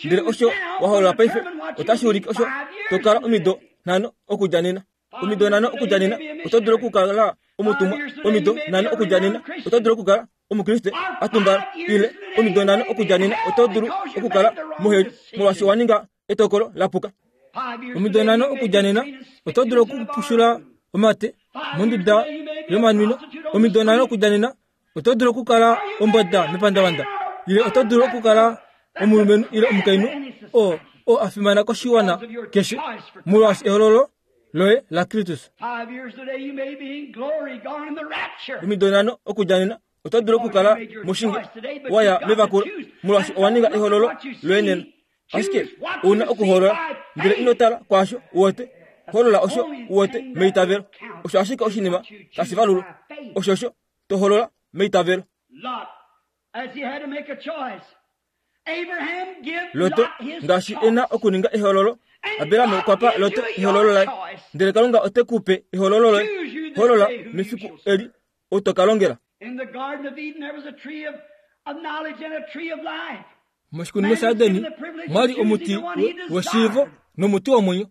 Ndele osho wa hoolola paife otashi ulike osho to kala omido nhano okudja nena. Omido nhano okudja nena oto dulu okukala omutumwa. Omido nhano okudja nena oto dulu okukala Omukriste a tumbala. Ile omido nhano okudja nena oto dulu okukala moheli molwaashi wa ninga etokolo la puka. Omido nhano okudja nena oto dulu okupushula omate monduda yomanwino. Omido nhano okudja nena oto dulu okukala ombwada mepandavanda ile oto dulu okukala omulumenhu ile omukainhu oo oo a fimana koshiwana keshe molwaashi ehololo loye laKristus. Omido nhano okudja nena oto dulu okukala moshinge wa ya mevakulo molwaashi owa ninga ehololo loye nena. Ashike ou na okuhoolola, ndele ino tala kwaasho u wete. Hoolola osho u wete meitavelo. Osho ashike oshinima tashi valulwa. Oshosho to hoolola meitavelo. Loto, ngaashi e na okuninga ehoololo, Abraham okwa pa Loto ehoololo laye. Ndele Kalunga ote ku pe ehoololo loye. Hoolola mefiku eli ou to ka longela. Moshikunino shaEden mwa li omuti weshiivo nomuti womwenyo.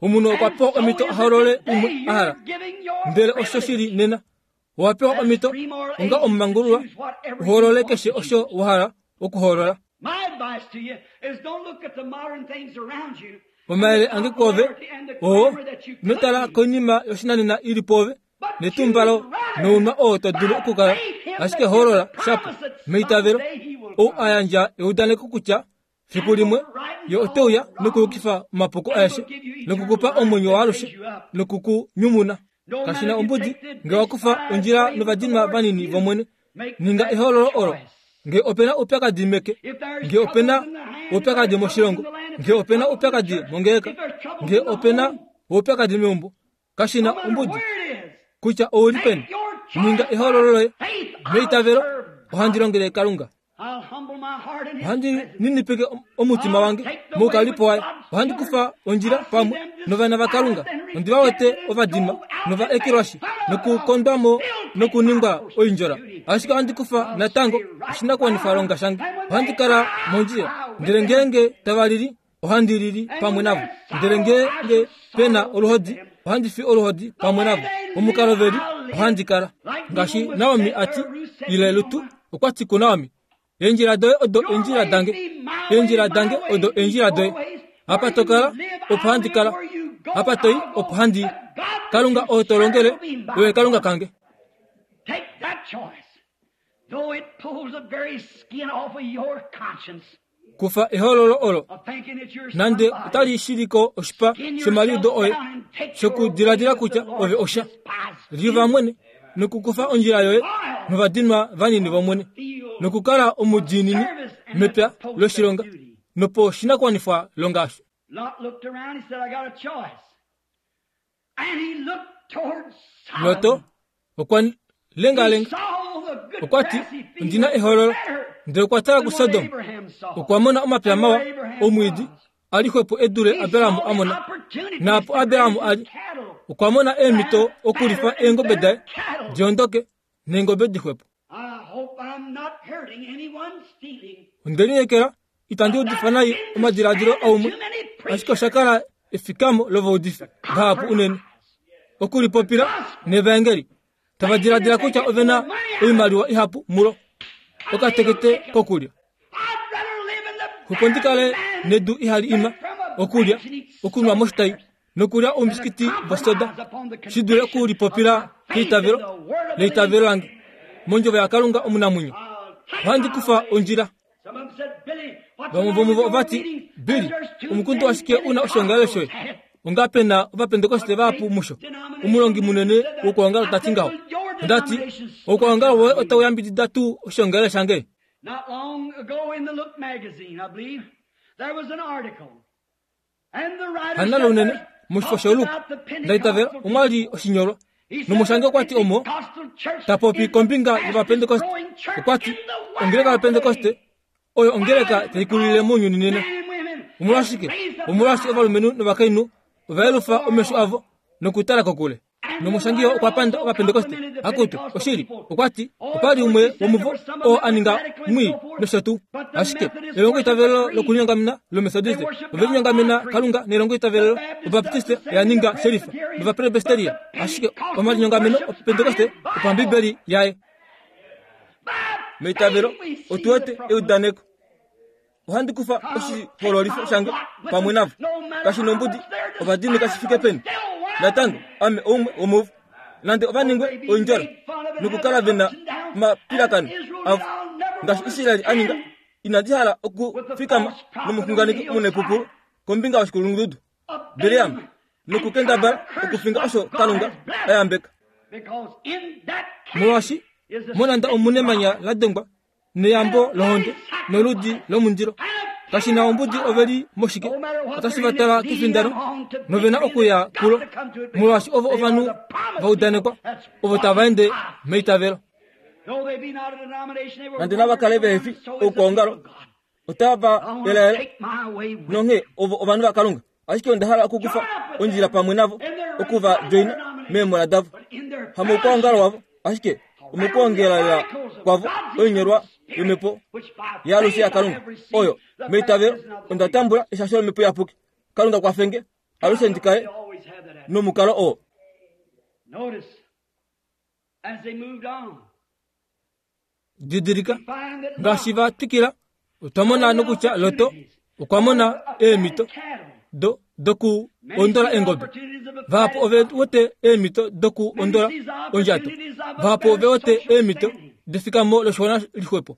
Omunhu okwa pewa omhito a hoolole umwe a hala. Ndele osho shi li nena. Owa pewa omhito onga omumangululwa u hoolole keshe osho wa hala okuhoolola. Omayele ange kwoove oo, ino tala koinima yoshinanena i li pwoove, netumbalo nounwa oo to dulu okukala, ashike hoolola shapo meitavelo ou a yandja eudaneko kutya fiku limwe ye ote uya nokuyukifa omapuko aeshe nokukupa omwenyo waalushe noku ku nyumuna. Kashi na ombudi nge wa kufa ondjila novadinwa vanini vOmwene, ninga ehoololo olo. Nge ope na oupyakadi meke, nge ope na oupyakadi moshilongo, nge ope na oupyakadi mongeleka, nge ope na oupyakadi meumbo, Kashi na ombudi kutya ou li peni, ninga ehoololo loye meitavelo. Ohandi longele Kalunga. Ohandi ninipike omutima wange moukalipo waye. Ohandi kufa ondjila pamwe novana vaKalunga. Ondi va wete ovadinwa nova ekelwashi nokukondwa mo nokuningwa oindjola. Ashike ohandi kufa natango oshinakuwanifwalonga shange. Ohandi kala mondjila. Ndele ngeenge tava lili, ohandi lili pamwe navo, ndele ngeenge pe na oluhodi, ohandi fi oluhodi pamwe navo. Omukalo ve li, ohandi kala. Ngaashi Naomi a ti, ile Lutu okwa ti kuNaomi, Eendjila doye odo eendjila dange, eendjila dange odo eendjila doye. Apa to kala, opo handi kala. Apa to i, opo handi i. Kalunga oo to longele, oye Kalunga kange. Take that choice. Though it pulls the very skin off of your conscience. Kufa ehoololo olo, nande otali shili ko oshipa shomaliudo oye shokudiladila kutya ove osha. Liuva mwene nokukufa ondjila yoye novadinwa vanini vOmwene, nokukala omudiinini mepya loshilonga. Noposhinakuwanifwa longa osho. Loto okwa lengalenga. Okwa ti, Ondi na ehoololo. Ndele okwa tala kuSodom. Okwa mona omapya mawa, omwiidi, a li xwepo e dule Abraham a mona. Naapo Abraham a li, okwa mona eemhito okulifa eengobe daye diondoke neengobe dixwepo. Onde lineekela itandi udifa nai omadiladilo aumwe, ashike osha kala efikamo lovaudifi vahapu unene okulipopila nevaengeli tava diladila kutya ove na oimaliwa ihapu mulo okatekete kokulya. Opo ndi kale nedu ihali ima okulya, okunwa moshitai nokulya oumbisikiti vosoda shi dule okulipopila keitavelo leitavelo lange mondjovo yaKalunga omunamwenyo. Ohandi kufa ondjila. Vamwe vomuvo ova ti, Billy, omukundu ashike u na oshoongalele shoye. Onga pe na Ovapentekoste vahapu musho. Omulongi munene wokwoongalo ta ti ngaho. Onda ti, Oukwaongalo woye otau yambidida tuu oshoongalele shange? Hanna Lounene, moshifo shoLuke, nda itavela, omwa li oshinyolwa. Nomushangi okwa ti omo ta popi kombinga yOvapentekoste. Okwa ti, Ongeleka yOpentekoste oyo ongeleka tai kulile mounyuni nena. Omolwashike? Omolwaashi ovalumenhu novakainhu ova yelufa omesho avo nokutala kokule. Nomushangi oo okwa panda Ovapentekoste. Akutu, oshili, okwa ti, opa li umwe womuvo oo a ninga mwii nosho tuu. Ashike elongoitavelo lokulinyongamena lOmethodiste, ove linyongamena Kalunga nelongoitavelo Obaptiste oya ninga shelifa nOvapresbesteria. Ashike omalinyongameno Opentekoste opaMbibeli yaye. Meitavelo otu wete eudaneko. Ohandi kufa oshihoololifo shange pamwe navo. Kashi nombudi ovadini kashi fike peni. Natango, ame oumwe womuvo. Nande ova ningwe oindjola nokukala ve na omapilakano avo ngaashi Israel a ninga, inandi hala okufikama nomuxunganeki omunaipupulu kombinga yoshikulundudu Bileam nokukendabala okufinga osho Kalunga a yambeka. Molwaashi monanda omunemanya la dengwa neyambo lohonde noludi lomundilo. Kashi na ombudi ove li moshike, otashi va twala kefindano nove na okuya kulo, molwaashi ovo ovanhu va udanekwa, ovo tava ende meitavelo. Nande nava kale vehe fi oukwaongalo, otava elaela nonghee ovo ovanhu vaKalunga. Ashike onda hala okukufa ondjila pamwe navo, oku va djoina meemola davo, hamoukwaongalo wavo, ashike omokwoongelela kwavo oinyolwa yomhepo yaalushe yaKalunga, oyo, meitavelo, onda tambula eshasho lOmhepo Iyapuki. Kalunga kwafenge alushe ndi kale nomukalo oo. Didilika, ngaashi va twikila, otwa mona nokutya Lot okwa mona eemhito do doku ondola eengobe. Vahapu ove wete eemhito doku ondola ondjato. Vahapu ove wete eemhito defikamo loshiwana lixwepo.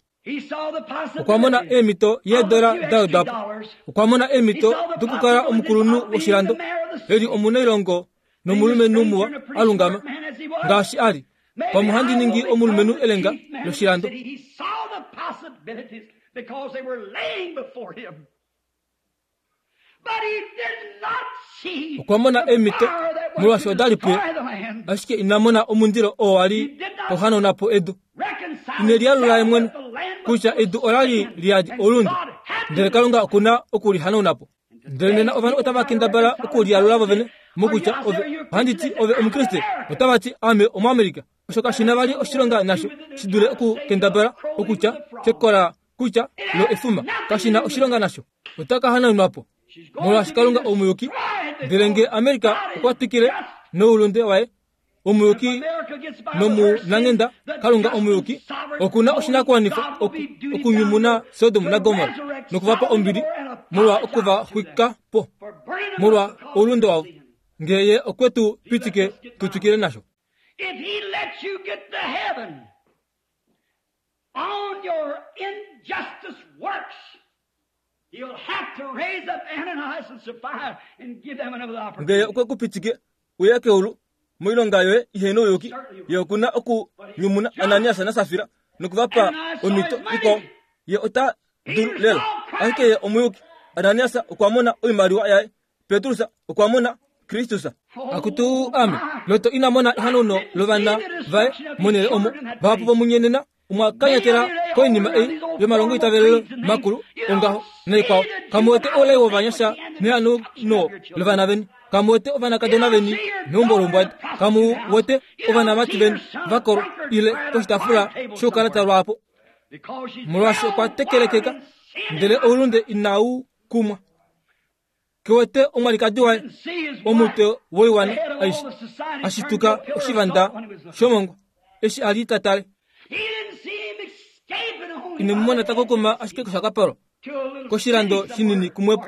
Okwa mona eemhito yeedola da wedwa po. Okwa mona eemhito dokukala omukulunhu woshilando, e li omunailongo nomulumenhu muwa a lungama ngaashi a li. Pamwe ohandi ningi omulumenhu elenga loshilando. Okwa mona eemhito molwaashi oda li puye, ashike ina mona omundilo oo wa li tau hanauna po edu. Ine lialula ye mwene kutya edu ola li li yadi oulunde, ndele Kalunga oku na oku li hanauna po. Ndele nena ovanhu otava kendabala okulialula vovene mokutya ove ohandi ti ove Omukriste, otava ti ame Omuamerika. Osho kashi na vali oshilonga nasho shi dule okukendabala okutya kekola kutya lo efuma. Kashi na oshilonga nasho. Ota ka hanaunwa po molwaashi Kalunga omuyuki. Ndele nge Amerika okwa twikile noulunde waye, omuyuki nomunanghenda Kalunga omuyuki oku na oshinakuwanifwa okunyumuna Sodom naGomorra noku va pa ombili molwa oku va xwika po molwa oulunde wavo, ngee Ye okwe tu pitike tu twikile nasho. On your injustice works, he'll have to raise up Ananias and Sapphira and give them another opportunity. Ngele okwe ku pitike uye keulu moilonga yoye ihe nouyuki, ye oku na okunyumuna Ananias naSafira noku va pa omhito ikwao. Ye ota dulu lela, ashike ye omuyuki. Ananias okwa mona oimaliwa yaye. Petrus okwa mona Kristus. Akutu ame, Loto ina mona ehanauno lovana vaye monhele omo vahapu vomunye nena omwa kanyatela koinima ei yomalongoitavelelo makulu ongaho naikwao. Kamu wete oulai wovanyasha nehanauno lovana veni. Kamu wete ovanakadona veni meumbo loumbwada. Kamu wete ovanamati veni va kolwa ile poshitaafula shoukalata lwaapo. Molwaashi okwa tekelekeka, ndele oulunde inau kumwa. Ke wete omwalikadi waye, omutwe woiwana aishe, a shituka oshivanda shomongwa eshi a li ta tale. Ine mu mona ta kokoma ashike koshakapalwa koshilando shinini kumwepo.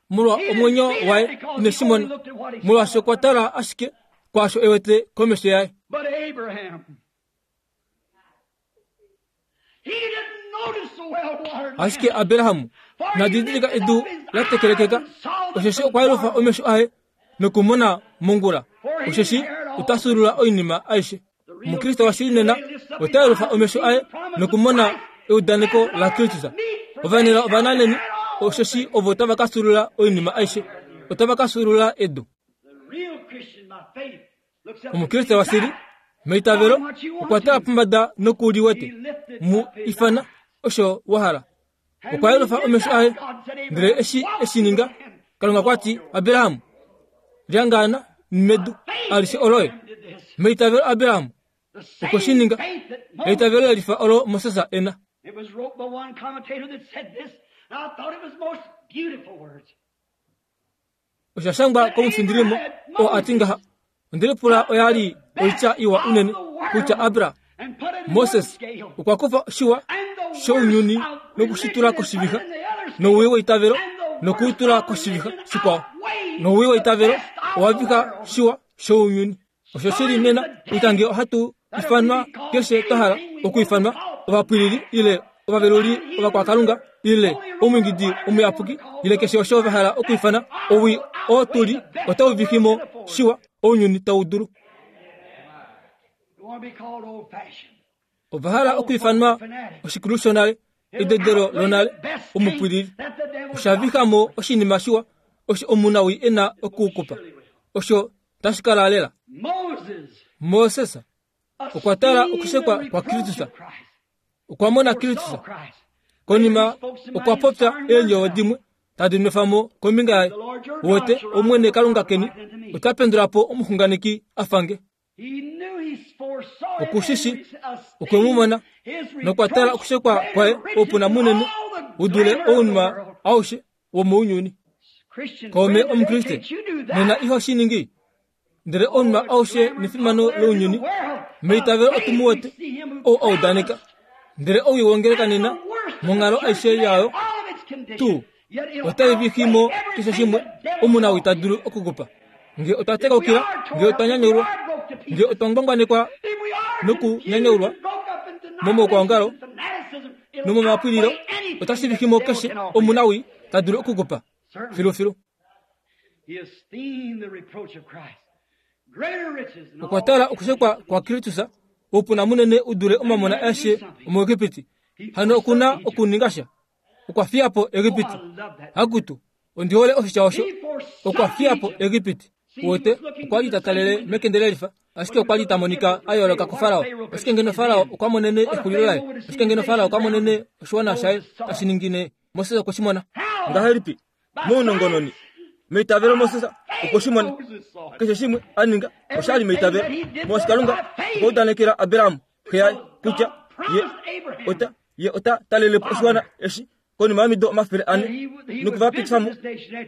Molwa omwenyo waye ine shi mona, molwaashi okwa tala ashike kwaasho e wete komesho yaye. Ashike Abraham na didilika edu la tekelekeka, osheshi okwa yelufa omesho aye nokumona mongula, osheshi ota fyuulula oinima aishe. Omukriste washili nena ota yelufa omesho aye nokumona eudaneko laKristus. Ovanela ovananeni, osheshi ovo tava ka fyuulula oinima aishe, otava ka fyuulula edu. Omukriste washili meitavelo okwa tala pombada noku liwete mu ifana osho wa hala. Okwa yelufa omesho aye, ndele eshi e shi ninga, Kalunga kwa ti, Abraham, lyangaana medu alishe oloye. Meitavelo Abraham okwe shi ninga, eitavelo le lifa olo Moses e na. Osha shangwa komufindilimo oo a ti ngaha, Onde lipula oya li oitya iwa unene kutya Abra, Moses okwa kufa shiwa shounyuni noku shi tula koshivixa, nowii weitavelo noku u tula koshivixa shikwao, nowii weitavelo owa vixa shiwa shounyuni. Osho shi li nena kutya ngee ohatu ifanwa keshe twa hala okuifanwa, ovapwilili ile ovaveluli ovakwakalunga ile omwiingidi omuyapuki ile keshe osho va hala okuifana, owii oo tu li otau vixi mo shiwa ounyuni tau dulu. Ova hala okuifanwa oshikulu shonale, ededelo lonale, omupwilili. Osha vixa mo oshinima shiwa osho omunawii e na okukupa. Osho tashi kala lela. Moses okwa tala okushekwa kwaKristus. Okwa mona Kristus. Konima okwa popya eendjovo dimwe tadi nwefa mo kombinga yaye. Wete, Omwene Kalunga keni ota pendula po omuxunganeki a fa nge. Oku shi shi, okwe mu mona nokwa tala okushekwa kwaye oupuna munene u dule ounwa aushe womounyuni. Kaume Omukriste, nena iho shi ningi? Ndele ounwa aushe nefimano lounyuni, meitavelo otu mu wete, ou a udaneka. Ndele owii wongeleka nena, monghalo aishe yayo, tuu, otai vixi mo keshe shimwe omunawii ta dulu okukupa. Nge otwa tekaukila, nge otwa nyanyaulwa, nge otwa ngwangwanekwa nokunyanyaulwa momaukwaongalo nomomapwililo, otashi vixi mo keshe omunawii ta dulu okukupa. Filufilu. Okwa tala okushekwa kwaKristus, oupuna munene u dule omamona aeshe omuEgipiti. Hano oku na okuninga sha. Okwa fiya po Egipiti. Akutu, ondi hole oshitya osho. Okwa fiya po Egipiti. Uwete, okwa li ta talele mekende lelifa, ashike okwa li ta monika a yooloka kuFarao. Ashike ngeno Farao okwa monene exulilo laye, ashike ngeno Farao okwa monene oshiwana shaye tashi ningine, Moses okwe shi mona. Ngahelipi? Mounongononi. Meitavelo Moses okwe shi mona. Keshe shimwe a ninga osha li meitavelo. Molwaashi Kalunga okwa udanekela Abraham, xe yaye, kutya ye ota Ye ota talele po oshiwana eshi konima yomido 400 noku va pitifa mo.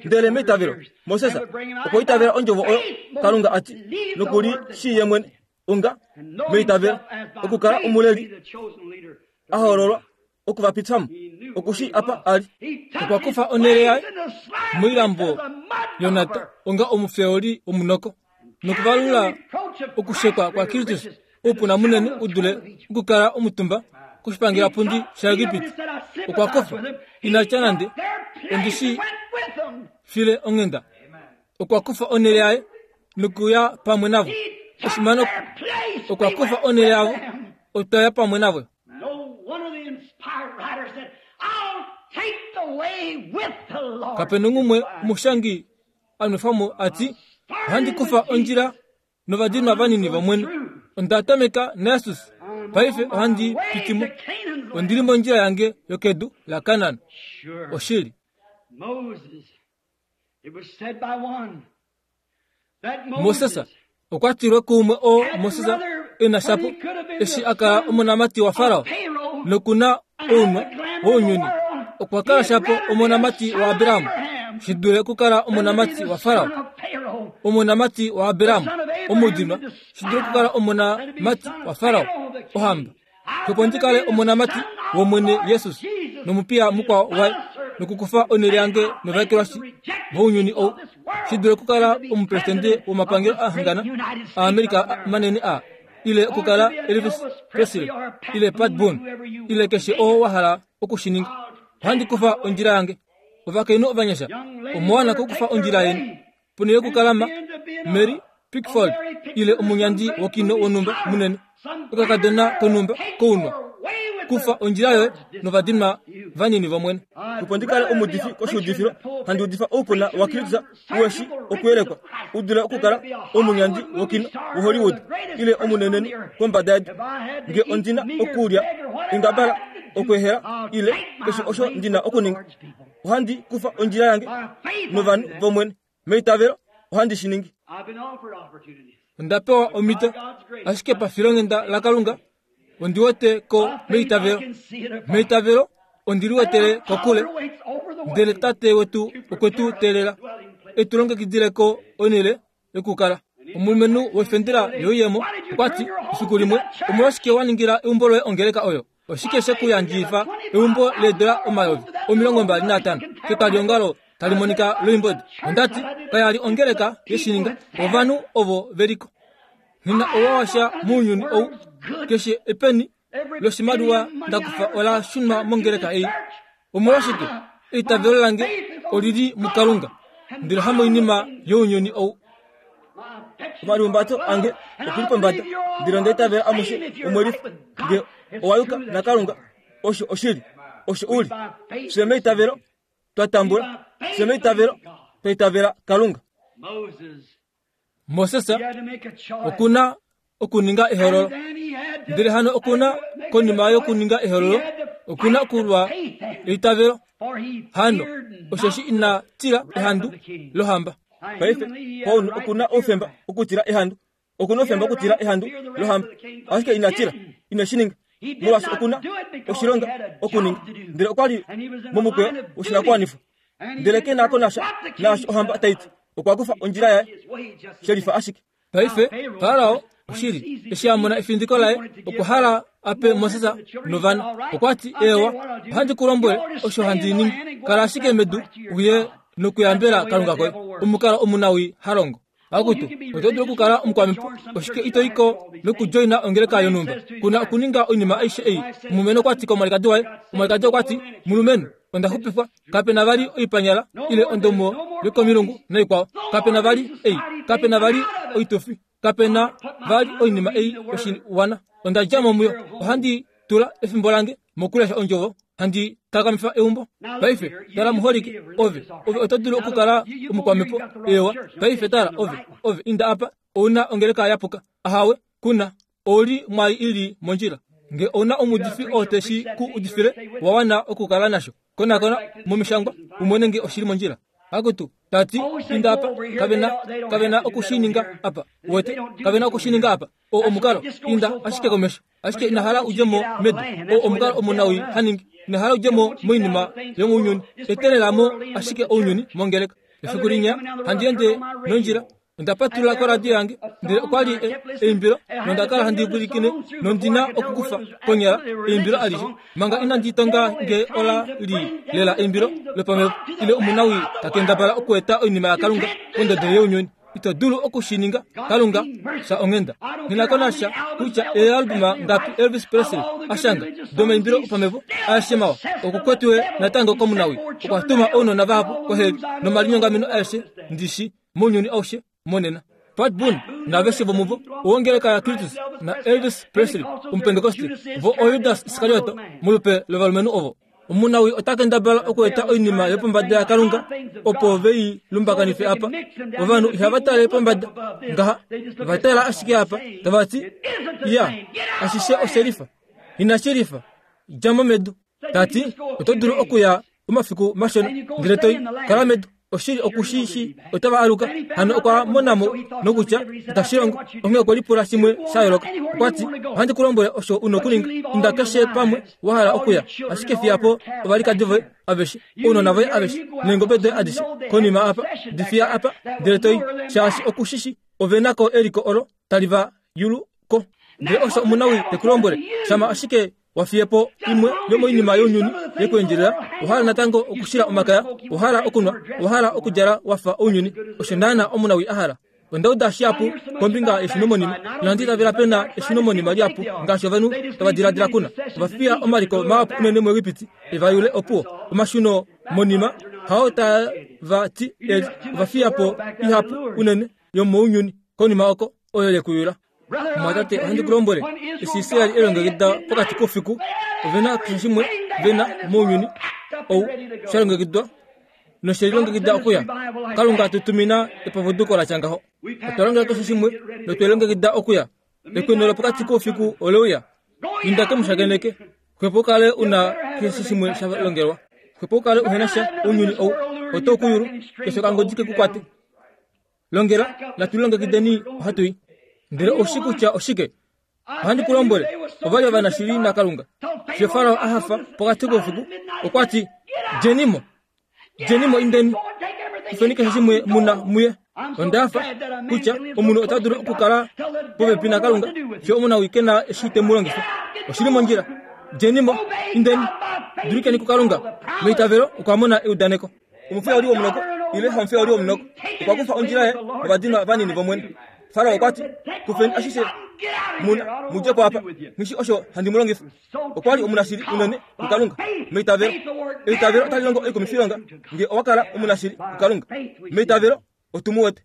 Ndele meitavelo, Moses okwa itavela ondjovo oyo Kalunga a ti, noku li shii ye mwene onga meitavelo okukala omuleli a hoololwa oku va pitifa mo. Oku shii apa a li. Okwa kufa onhele yaye moilambo yonhata onga omufeoli womunoko. Nokuvalula okushekwa kwaKristus oupuna munene u dule okukala omutumba koshipangelapundi shaEgipiti. Okwa kofa, ina tya nande, Ondi shi file onghenda. Okwa kufa onhele yaye nokuya pamwe navo. Efimano, okwa kufa onhele yavo, otwa ya pamwe navo. Kape nongumwe omushangi a nwefa mo a ti, Ohandi kufa ondjila novadinwa vanini vOmwene. Onda tameka naJesus, paife ohandi piti mo. Ondi li mondjila yange yokedu laKanaan. Oshili. Moses okwa tilwe kuumwe oo Moses e na shapo eshi a kala omonamati waFarao noku na ounwa wounyuni. Okwa kala shapo omonamati waAbraham shi dule okukala omonamati waFarao. Omonamati waAbraham omudinwa shi dule okukala omonamati waFarao ohamba. Opo ndi kale omonamati wOmwene Jesus nomupiya mukwao waye nokukufa onhele yange novaekelwashi vounyuni ou, shi dule okukala omupresidente womapangelo a hangana aAmerika manene a ile okukala Elvis Presley ile Pat Boone ile keshe oo wa hala oku shi ninga. Ohandi kufa ondjila yange. Ovakainhu ovanyasha, omwa wana okukufa ondjila yeni. Ponhele yokukala ma Mary Pickford ile omunyandi wokino wonhumba munene, okakadona konhumba kounwa, kufa ondjila yoye novadinwa vanini vOmwene. Opo ndi kale omuudifi koshiudifilo, handi udifa oupuna waKristus uhe shi okuyelekwa, u dule okukala omunyandi wokino woHollywood ile omunenenhu kombada yedu. Nge ondi na okulya engabala, okweehela ile keshe osho ndi na okuninga, ohandi kufa ondjila yange novanhu vOmwene. Meitavelo ohandi shi ningi. Onda pewa omhito, ashike pafilonghenda laKalunga ondi wete ko meitavelo. Meitavelo ondi liwetele kokule, ndele Tate wetu okwe tu teelela e tu longekidile ko onhele yokukala. Omulumenhu wefendela yoiyemo okwa ti, Efiku limwe, omolwashike wa ningila eumbo loye ongeleka oyo? Oshike she ku yandjifa eumbo leedola 25,000 ketwaliongalo tali monika loimbodi? Onda ti, Kaya li ongeleka ye shi ninga. Ovanhu ovo ve li ko. Nghi na ouwa washa mounyuni ou. Keshe epeni loshimaliwa nda kufa ola shunwa mongeleka ei. Omolwashike? Eitavelo lange oli li muKalunga, ndele hamoinima younyuni ou. Omalihumbato ange oku li pombada, ndele onda itavela amushe omwe lifa. Nge owa yuka naKalunga, osho oshili, osho u li. Fye meitavelo twa tambula, fye meitavelo twa itavela Kalunga. Moses oku na okuninga ehololo. Ndele hano oku na, konima yokuninga ehololo, oku na okulwa eitavelo. Hano, osheshi ina tila ehandu lohamba. Paife, Paulus oku na oufemba okutila ehandu. Oku na oufemba okutila ehandu lohamba. Ashike ina tila. Ine shi ninga. Molwaashi oku na oshilonga okuninga. Ndele okwa li momukweyo woshinakuwanifwa. Ndele ke na ko nasha naasho ohamba tai ti. Okwa kufa ondjila yaye shelifa ashike. Paife, Farao, oshili, eshi a mona efindiko laye, okwa hala a pe Moses novana. Okwa ti, Eewa, ohandi ku lombwele osho handi ningi. Kala ashike medu uye nokuyambela Kalunga koye. Omukalo omunawii ha longo. Akutu, oto dulu okukala omukwamhepo, oshike ito i ko nokudjoina ongeleka yonhumba? Ku na okuninga oinima aishe ei. Omulumenhu okwa ti komwalikadi waye, omwalikadi okwa ti, Mulumenhu, onda xupifwa. Kape na vali oipanyala ile ondomo yokomilungu naikwao. Kape na vali ei. Kape na vali oitufi. Kape na vali oinima ei yoshiwana. Onda dja mo muyo. Ohandi tula efimbo lange mokulesha Ondjovo, handi takamifa eumbo. Paife, tala muholike, ove, ove oto dulu okukala omukwamhepo. Eewa. Paife tala, ove, ove inda apa, ou na ongeleka ya puka. Ahawe, ku na. Ou li mwai i li mondjila. Nge ou na omuudifi oo te shi ku udifile, wa wana okukala nasho. Konakona mOmishangwa u mone nge oshi li mondjila. Akutu, ta ti, inda apa, kave na, kave na oku shi ninga apa. Uwete, kave na oku shi ninga apa. Oo omukalo, inda ashike komesho. Ashike ina hala u dje mo medu. Oo omukalo omunawii ha ningi. Ina hala u dje mo moinima yomounyuni. Etelela mo ashike ounyuni mongeleka. Efiku linya, handi ende nondjila, Onda patulula koradio yange, ndele okwa li eimbilo, nonda kala handi pwilikine, nondi na okukufa konyala eimbilo alishe manga inandi tonga nge ola li lela eimbilo lopamhepo ile omunawii ta kendabala okueta oinima yaKalunga pondodo younyuni. Ito dulu oku shi ninga. Kalunga, fya onghenda. Nghi na ko nasha kutya eealbuma ngapi Elvis Presley a shanga domaimbilo opamhepo aeshe mawa, oku kwetiwe natango komunawii. Okwa tuma ounona vahapu koheli nomalinyongameno aeshe ndi shi mounyuni aushe monena. Pat Boone naaveshe vomuvo, owongeleka yaKristus naElvis Presley, Omupentekoste, vo oJudas Iskarioto molupe lovalumenhu ovo. Omunawii ota kendabala okueta oinima yopombada yaKalunga opo ve i lumbakanife apa. Ovanhu ihava tale pombada ngaha, va tala ashike apa tava ti, Ya, ashishe oshelifa. Inashi lifa. Dja mo medu. Ta ti, Oto dulu okuya omafiku mashona ndele toi kala medu. Oshili oku shi shi otava aluka. Hano okwa mona mo nokutya itashi longo, onghee okwe lipula shimwe sha yooloka. Okwa ti, Ohandi ku lombwele osho u nokuninga. Inda keshe pamwe wa hala okuya, ashike fiya po ovalikadi voye aveshe, ounona voye aveshe, neengobe doye adishe konima apa. Di fiya apa, ndele to i, shaashi oku shi shi ove na ko eliko olo tali va yulu ko. Ndele osho omunawii te ku lombwele, shama ashike wa fiye po imwe yomoinima younyuni yekuendjelela, owa hala natango okushila omakaya, owa hala okunwa, owa hala okudjala wa fa ounyuni. Osho naana omunawii a hala. Onda uda shihapu kombinga yeshunomonima, nohandi itavela pe na eshunomonima lihapu ngaashi ovanhu tava diladila kuna. Ova fiya omaliko mahapu unene muEgipiti e va yule opuwo. Omashuno monima hao tava ti eli. Ova fiya po ihapu unene yomounyuni konima oko oyo ye ku yula. Mumwatate, ohandi ku lombwele, eshi Israel e longekida pokati koufiku, ove na keshe shimwe ve na mounyuni ou sha longekidwa noshe lilongekida okuya. Kalunga tu tumina epapuduko la tya ngaho. Otwa longela keshe shimwe notwe longekida okuya. Ekweno lopokati koufiku ole uya. Inda ke mu shakeneke. Xwepo u kale u na keshe shimwe sha longelwa. Xwepo u kale uhe na sha ounyuni ou otau ku yulu, keshe okangodi ke ku kwate. Longela, natu lilongekideni ohatu i. Ndele ou shi kutya oshike? Ohandi ku lombwele, ova li ovanashili naKalunga. Fiyo Farao a hafa pokati koufiku, okwa ti, Djeni mo! Djeni mo indeni! Kufeni keshe shimwe mu na muye. Onda hafa kutya omunhu ota dulu okukala popepi naKalunga fiyo omunawii ke na eshi te mu longifa. Oshi li mondjila. Djeni mo, indeni! Dulikeni kuKalunga. Meitavelo okwa mona eudaneko. Omufeoli womunoko ile hamufeoli womunoko okwa kufa ondjila yaye novadinwa vanini vOmwene. Farao okwa ti, Kufeni ashishe mu na, mu dje po apa. Nghi shi osho handi mu longifa. Okwa li omunashili unene kuKalunga meitavelo. Eitavelo otali longo oikumifilonga nge owa kala omunashili kuKalunga meitavelo. Otu mu wete.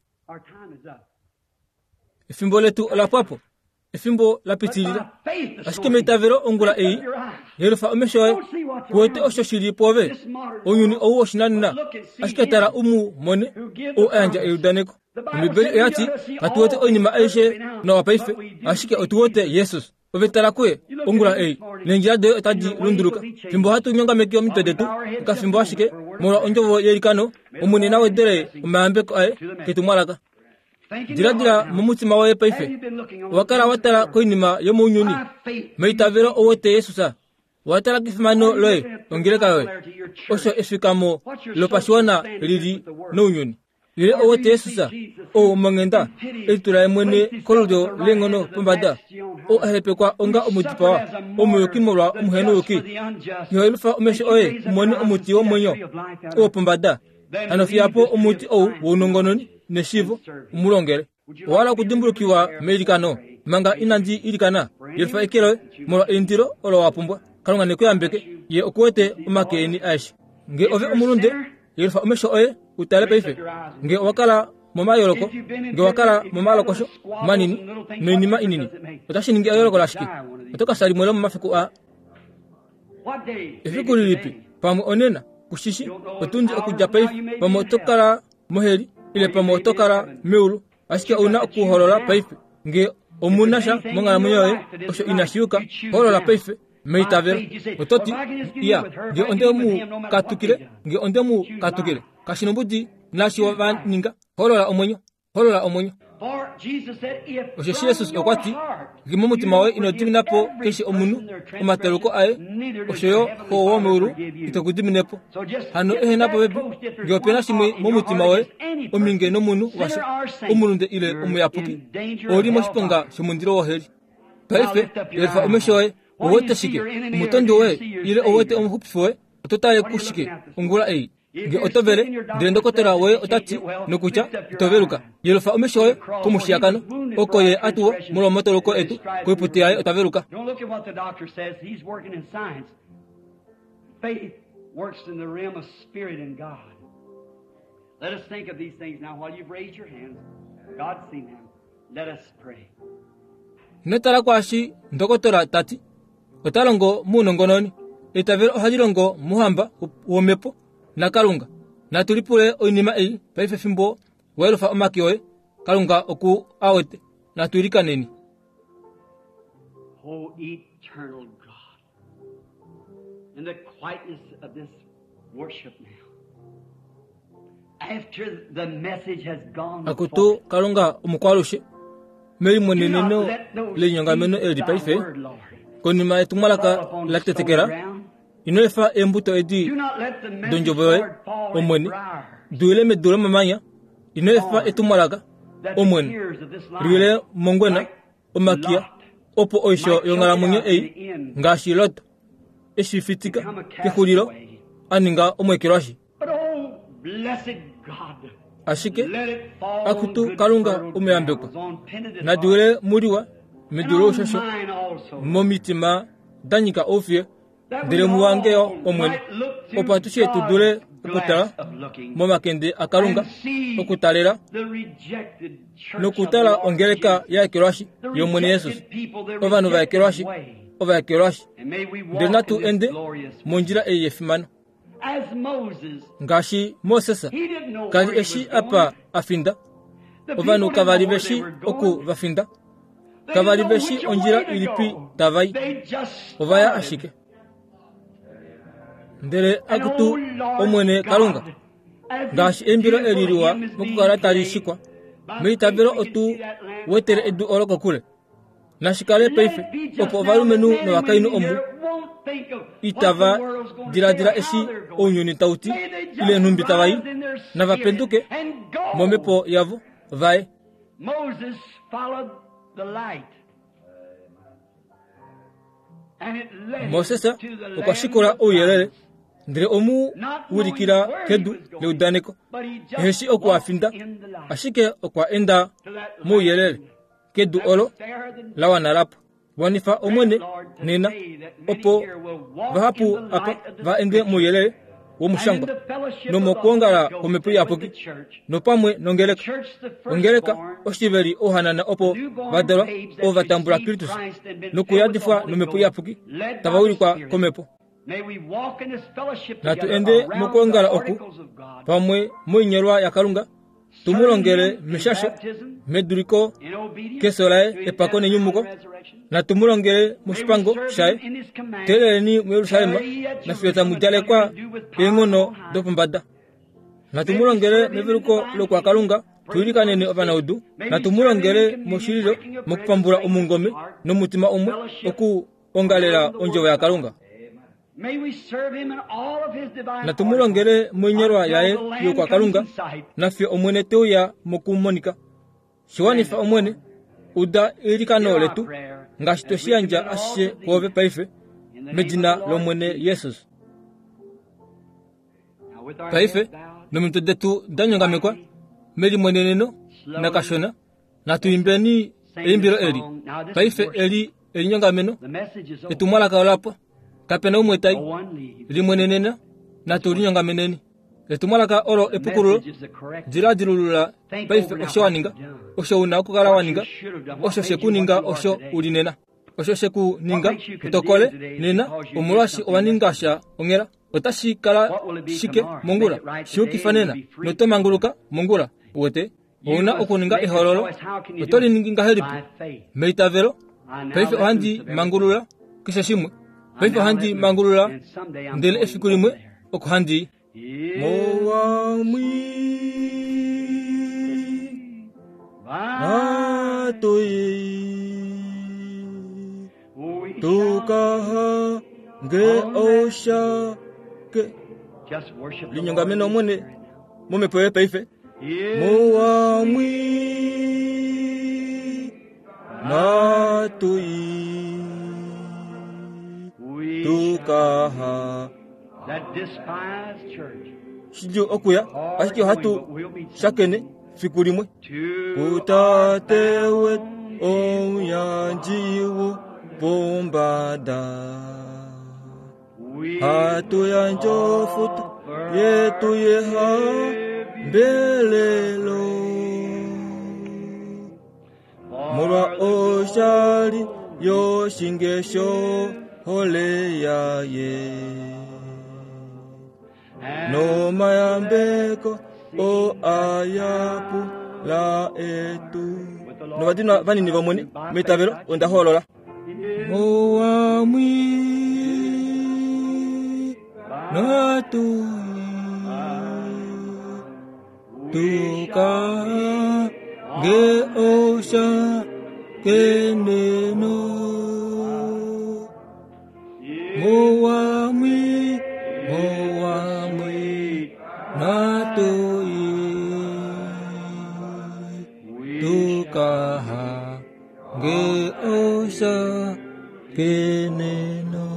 Efimbo letu ola pwa po. Efimbo la pitilila. Ashike meitavelo ongula ei, yelufa omesho oye, ku wete osho shi li pwoove. Ounyuni ou woshinanena, ashike tala u mu mone, ou a yandja eudaneko. Ombibeli oya ti, Katu wete oinima aishe nawa paife, ashike otu wete Jesus. Ove tala kuye ongula ei, neendjila doye otadi lunduluka. Fimbo hatu nyongameke omitwe detu okafimbo ashike, molwa ondjovo yeilikano, Omwene na wedele omayambeko aye ketumwalaka. Diladila momutima woye paife. Owa kala wa tala koinima yomounyuni. Meitavelo ou wete Jesus. Owa tala kefimano loye, ongeleka yoye, osho efikamo lopashiwana li li nounyuni. Ile ou wete Jesus, ou omonghenda, e litula ye mwene kolulyo leenghono pombada, ou a hepekwa onga omudipawa, omuyuki molwa omuhenouyuki. Iho yelufa omesho oye u mone omuti womwenyo oo pombada. Hano fiya po omuti ou wounongononi neshiivo u mu longele. Owa hala okudimbulukiwa meilikano? Manga inandi ilikana, yelufa eke loye molwa eindilo olo wa pumbwa. Kalunga ne ku yambeke. Ye oku wete omake eni aeshe. Nge ove omulunde, yelufa omesho oye u tale paife. Nge owa kala momayooloko, nge owa kala momalokosho manini noinima inini, otashi ningi eyooloko lashike? Oto ka fya limwe lomomafiku aa. Efiku lilipi? Pamwe onena, ku shi shi, otundi okudja paife. Pamwe oto kala moheli, ile pamwe oto kala meulu. Ashike ou na okuholola paife. Nge omu na sha monghalamwenyo yoye osho inashi yuka, holola paife meitavelo. Oto ti, Iya, nge onde mu katukile, nge onde mu katukile. Kashi nombudi naashi va ninga, holola omwenyo. Holola omwenyo. Osheshi Jesus okwa ti, Nge momutima woye ino dimina po keshe omunhu omataluko aye, osho yo Xo womeulu ite ku dimine po. Hano ehena popepi, nge ope na shimwe momutima woye, ominge nomunhu washa, omulunde ile omuyapuki, ou li moshiponga shomundilo woheli. Paife, yelifa omesho oye, ou wete shike? Omutondi woye ile ou wete omuxupifi woye? Oto tale kushike ongula ei? Nge oto vele, ndele ndokotola woye ota ti nokutya ito veluka, yelufa omesho oye komushiyakano, oko ye a tuwa molwomatoloko etu, koiputi yaye ota veluka. Let us think of these things now while you've raised your hands. God's seen them. Let us pray. Ino tala kwaashi ndokotola ta ti. Ota longo muunongononi. Eitavelo ohali longo mouhamba womhepo naKalunga. Natu lipule oinima ei paife fimbo wa yelufa omake oye. Kalunga oku a wete. Natu ilikaneni. O eternal God, in the quietness of this worship now, after the message has gone Akutu forth, Kalunga omukwalushe, do not melimweneneno let those lenyongameno seeds eli of thy paife, word, Lord, konima fall yetumwalaka upon la stony tetekela, ground. ino efa eembuto edi Do not let the message, dondjovo yoye, Lord, fall in Omwene, briars, di medu lomamanya, ino efa etumwalaka, that the Omwene, tears of this life liwile mongwena, like omakiya, Lot, opo oisho might choke it yonghalamwenyo out to ei, the end, ngaashi Lot, eshi fitika become a kexulilo, castaway. a ninga omwekelwashi. But oh, blessed God, Ashike, let it fall on akutu good Kalunga fertile omuyambekwa, grounds, on penitent nadi hearts, wile muliwa, and medu on loushosho, mine also, momitima da nyika oufiye, that we ndele muwange yo all Omwene, might look opo through atushe tu dule God's okutala glass of looking momakende aKalunga, and see okutalela the rejected church of the nokutala Lord ongeleka Jesus, ya ekelwashi the yOmwene Jesus, rejected people, the ovanhu va rejected ekelwashi, way. ova ekelwashi. And may we Ndele walk natu in this ende glorious way. mondjila ei yefimano. As Moses, Ngaashi Moses he didn't know ka li where he eshi was apa going. a finda, The ovanhu people didn't kava li know where ve they shi were oku going. va finda, They kava didn't li know ve shi which ondjila way to ilipi go. tava i, They just ova ya started. ashike. Ndele And akutu oh Lord Omwene Kalunga, God, as this ngaashi eimbilo eli beautiful liwa hymn is being mokukala tali played, shikwa, by faith meitavelo we can otu see that land wetele far. edu olo kokule. Nashi kale Let paife it be just opo now that ovalumenhu men and novakainhu women omu here won't think of what the itava world's going to say or diladila how eshi they're going. ounyuni tau ti May they ile just nhumbi tava i, rise in their nava spirit penduke and momhepo go. yavo vaye. Moses followed the light. And it led him Moses to the okwa land shikula of ouyelele promise, ndele omu not knowing ulikila where he kedu was going, leudaneko. but he Ehe shi just oku a walked finda, in the light ashike okwa enda to that mouyelele land kedu that olo was fairer than la wana lapo. Wanifa Grant, Omwene Lord, nena today that many opo here will walk in vahapu the apa light of the va ende Scripture mouyelele and in womushangwa the fellowship of the Holy nomokwoongala Ghost kwomhepo and with the iyapuki church, nopamwe the nongeleka. church the Ongeleka firstborn, oshiveli ouhanana opo newborn vadalwa babes ovo that va tambula received Kristus Christ and been filled with the nokuyadifwa Holy nomhepo Ghost, iyapuki led tava by the wilikwa Spirit. komhepo. May we walk in this fellowship Natu together ende around the mokwoongala oku articles of God, pamwe moinyolwa yaKalunga tu mu serving longele Him in meshasho baptism, meduliko in obedience keso laye to His epako death and nenyumuko. resurrection. Natu mu longele May we moshipango serve shaye Him in His commandments. teeleleni muYerusalem Tarry ye at nafiyo tamu Jerusalem until djalekwa you're endued with power eenghono from on high. dopombada. Natu May mu we longele serve Him in meveluko divine healing, lokwakalunga praying for tuilikaneni the sick. ovanaudu. May we Natu mu serve Him in longele communion, moshililo breaking of bread with mokupambula thankful omungome heart, nomutima umwe fellowship okuongalela around the ondjovo Word of God. yaKalunga. May we serve Him in all of His divine Natu mu articles longele moinyolwa until yaye the Lamb comes yokwakalunga in sight. nafiyo Omwene te uya mokumonika. Shiwanifa Grant it, Omwene, Lord. uda eilikano Hear our letu prayer ngaashi twe as shi we yandja commit all ashishe to Thee kwoove paife in the name of medina the Lord lOmwene Jesus. Jesus. Now with our Paife heads bowed, nomitwe detu da nyongamekwa quietly, melimweneneno slowly, nakashona natu imbeni sing eimbilo this eli. song. Now this is Paife worship. eli elinyongameno The message is over. etumwalaka olapwa kapena umwe tai No one leaves. limwenenena Just natu worship. linyongameneni. Etumwalaka olo The epukululo message is the corrective. diladilulula Think paife over now osho what wa ninga you've done, osho una okukala wa what you ninga should have done, what osho made you what shekuninga you are osho today. uli nena osho What shekuninga makes you utokole condemned today is nena because you did omolwaashi something owa ninga yesterday. sha onghela otashi kala What will it be shike tomorrow? Make mongula it right today shiyukifa and you'll nena be free noto tomorrow. manguluka mongula uwete You ouna must okuninga make a ehololo choice. How can you oto do li it? ningi ngahelipi By faith. meitavelo I now paife let ohandi loose of everything. mangulula keshe shimwe I paife now let ohandi loose. mangulula And someday I'm ndele going efiku over limwe there. oko handi i. In Mowamwi by natoi we shall tukahange on that day. oshake Just worship the Lord in linyongameno your Omwene spirit now. momhepo yoye paife In the mowamwi sweet natoi we shall tukaha that despised church shidjuu okuya hard ashike going, ohatu but we'll meet shakene someday. fiku limwe To our kutate wetu bountiful omuyandji wopombada we hatu yandje ofuto offer yetu our yehambelelo tribute molwa for the oshali glory yoshinge hole yaye nomayambeko o ayapula etu novadinwa vanini vomwene meitavelo onda hoolola mowamwi natui tuka nge osha keneno mowamwi mowamwi natui tukaha nge osha keneno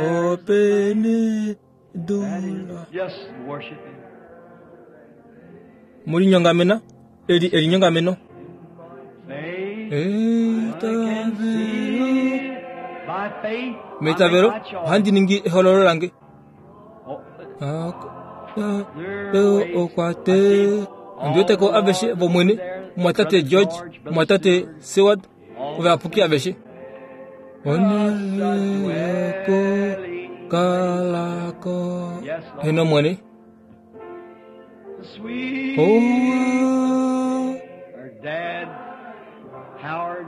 opene dula Just worship Him. mulinyongamena eli elinyongameno Faith. eitavelo By faith, I meitavelo make my choice. ohandi ningi ehololo lange Oh, okwate ondiweteko aveshe vomwene omwatate George omwatate Seward ovayapuki aveshe onele yokukalako heno mwene sweet. owa Her dad, Howard,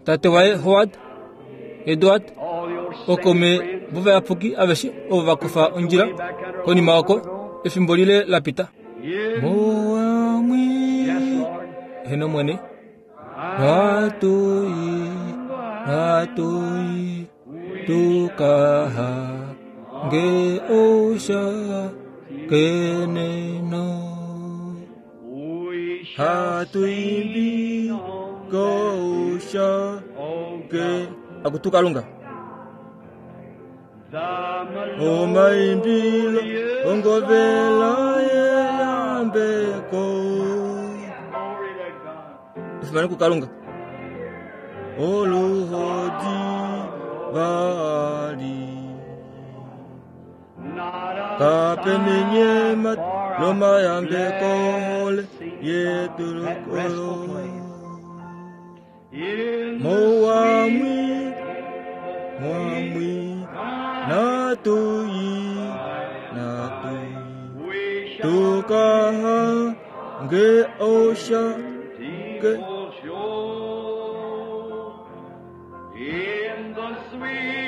tate waye Howard Edward all your saint okome friends. vovayapuki aveshe ovo vakufa ondjila konima oko efimbo lile lapita Yes, mowamwi Lord. heno mwene natui natui tukaha nge osha keneno We shall hatuimbi sing on kousha Oh ke God, akutukalunga the omaimbilo melodious ongovela yeyambeko Glory to God. efimano kukalunga oluhodi vali Not a kapenenyema sigh for our lomayambeko hole blessing yetu that restful lokolo place. In the mowamwi sweet mwamwi natui natui we shall tukaha nge osha beautiful shore. In the sweet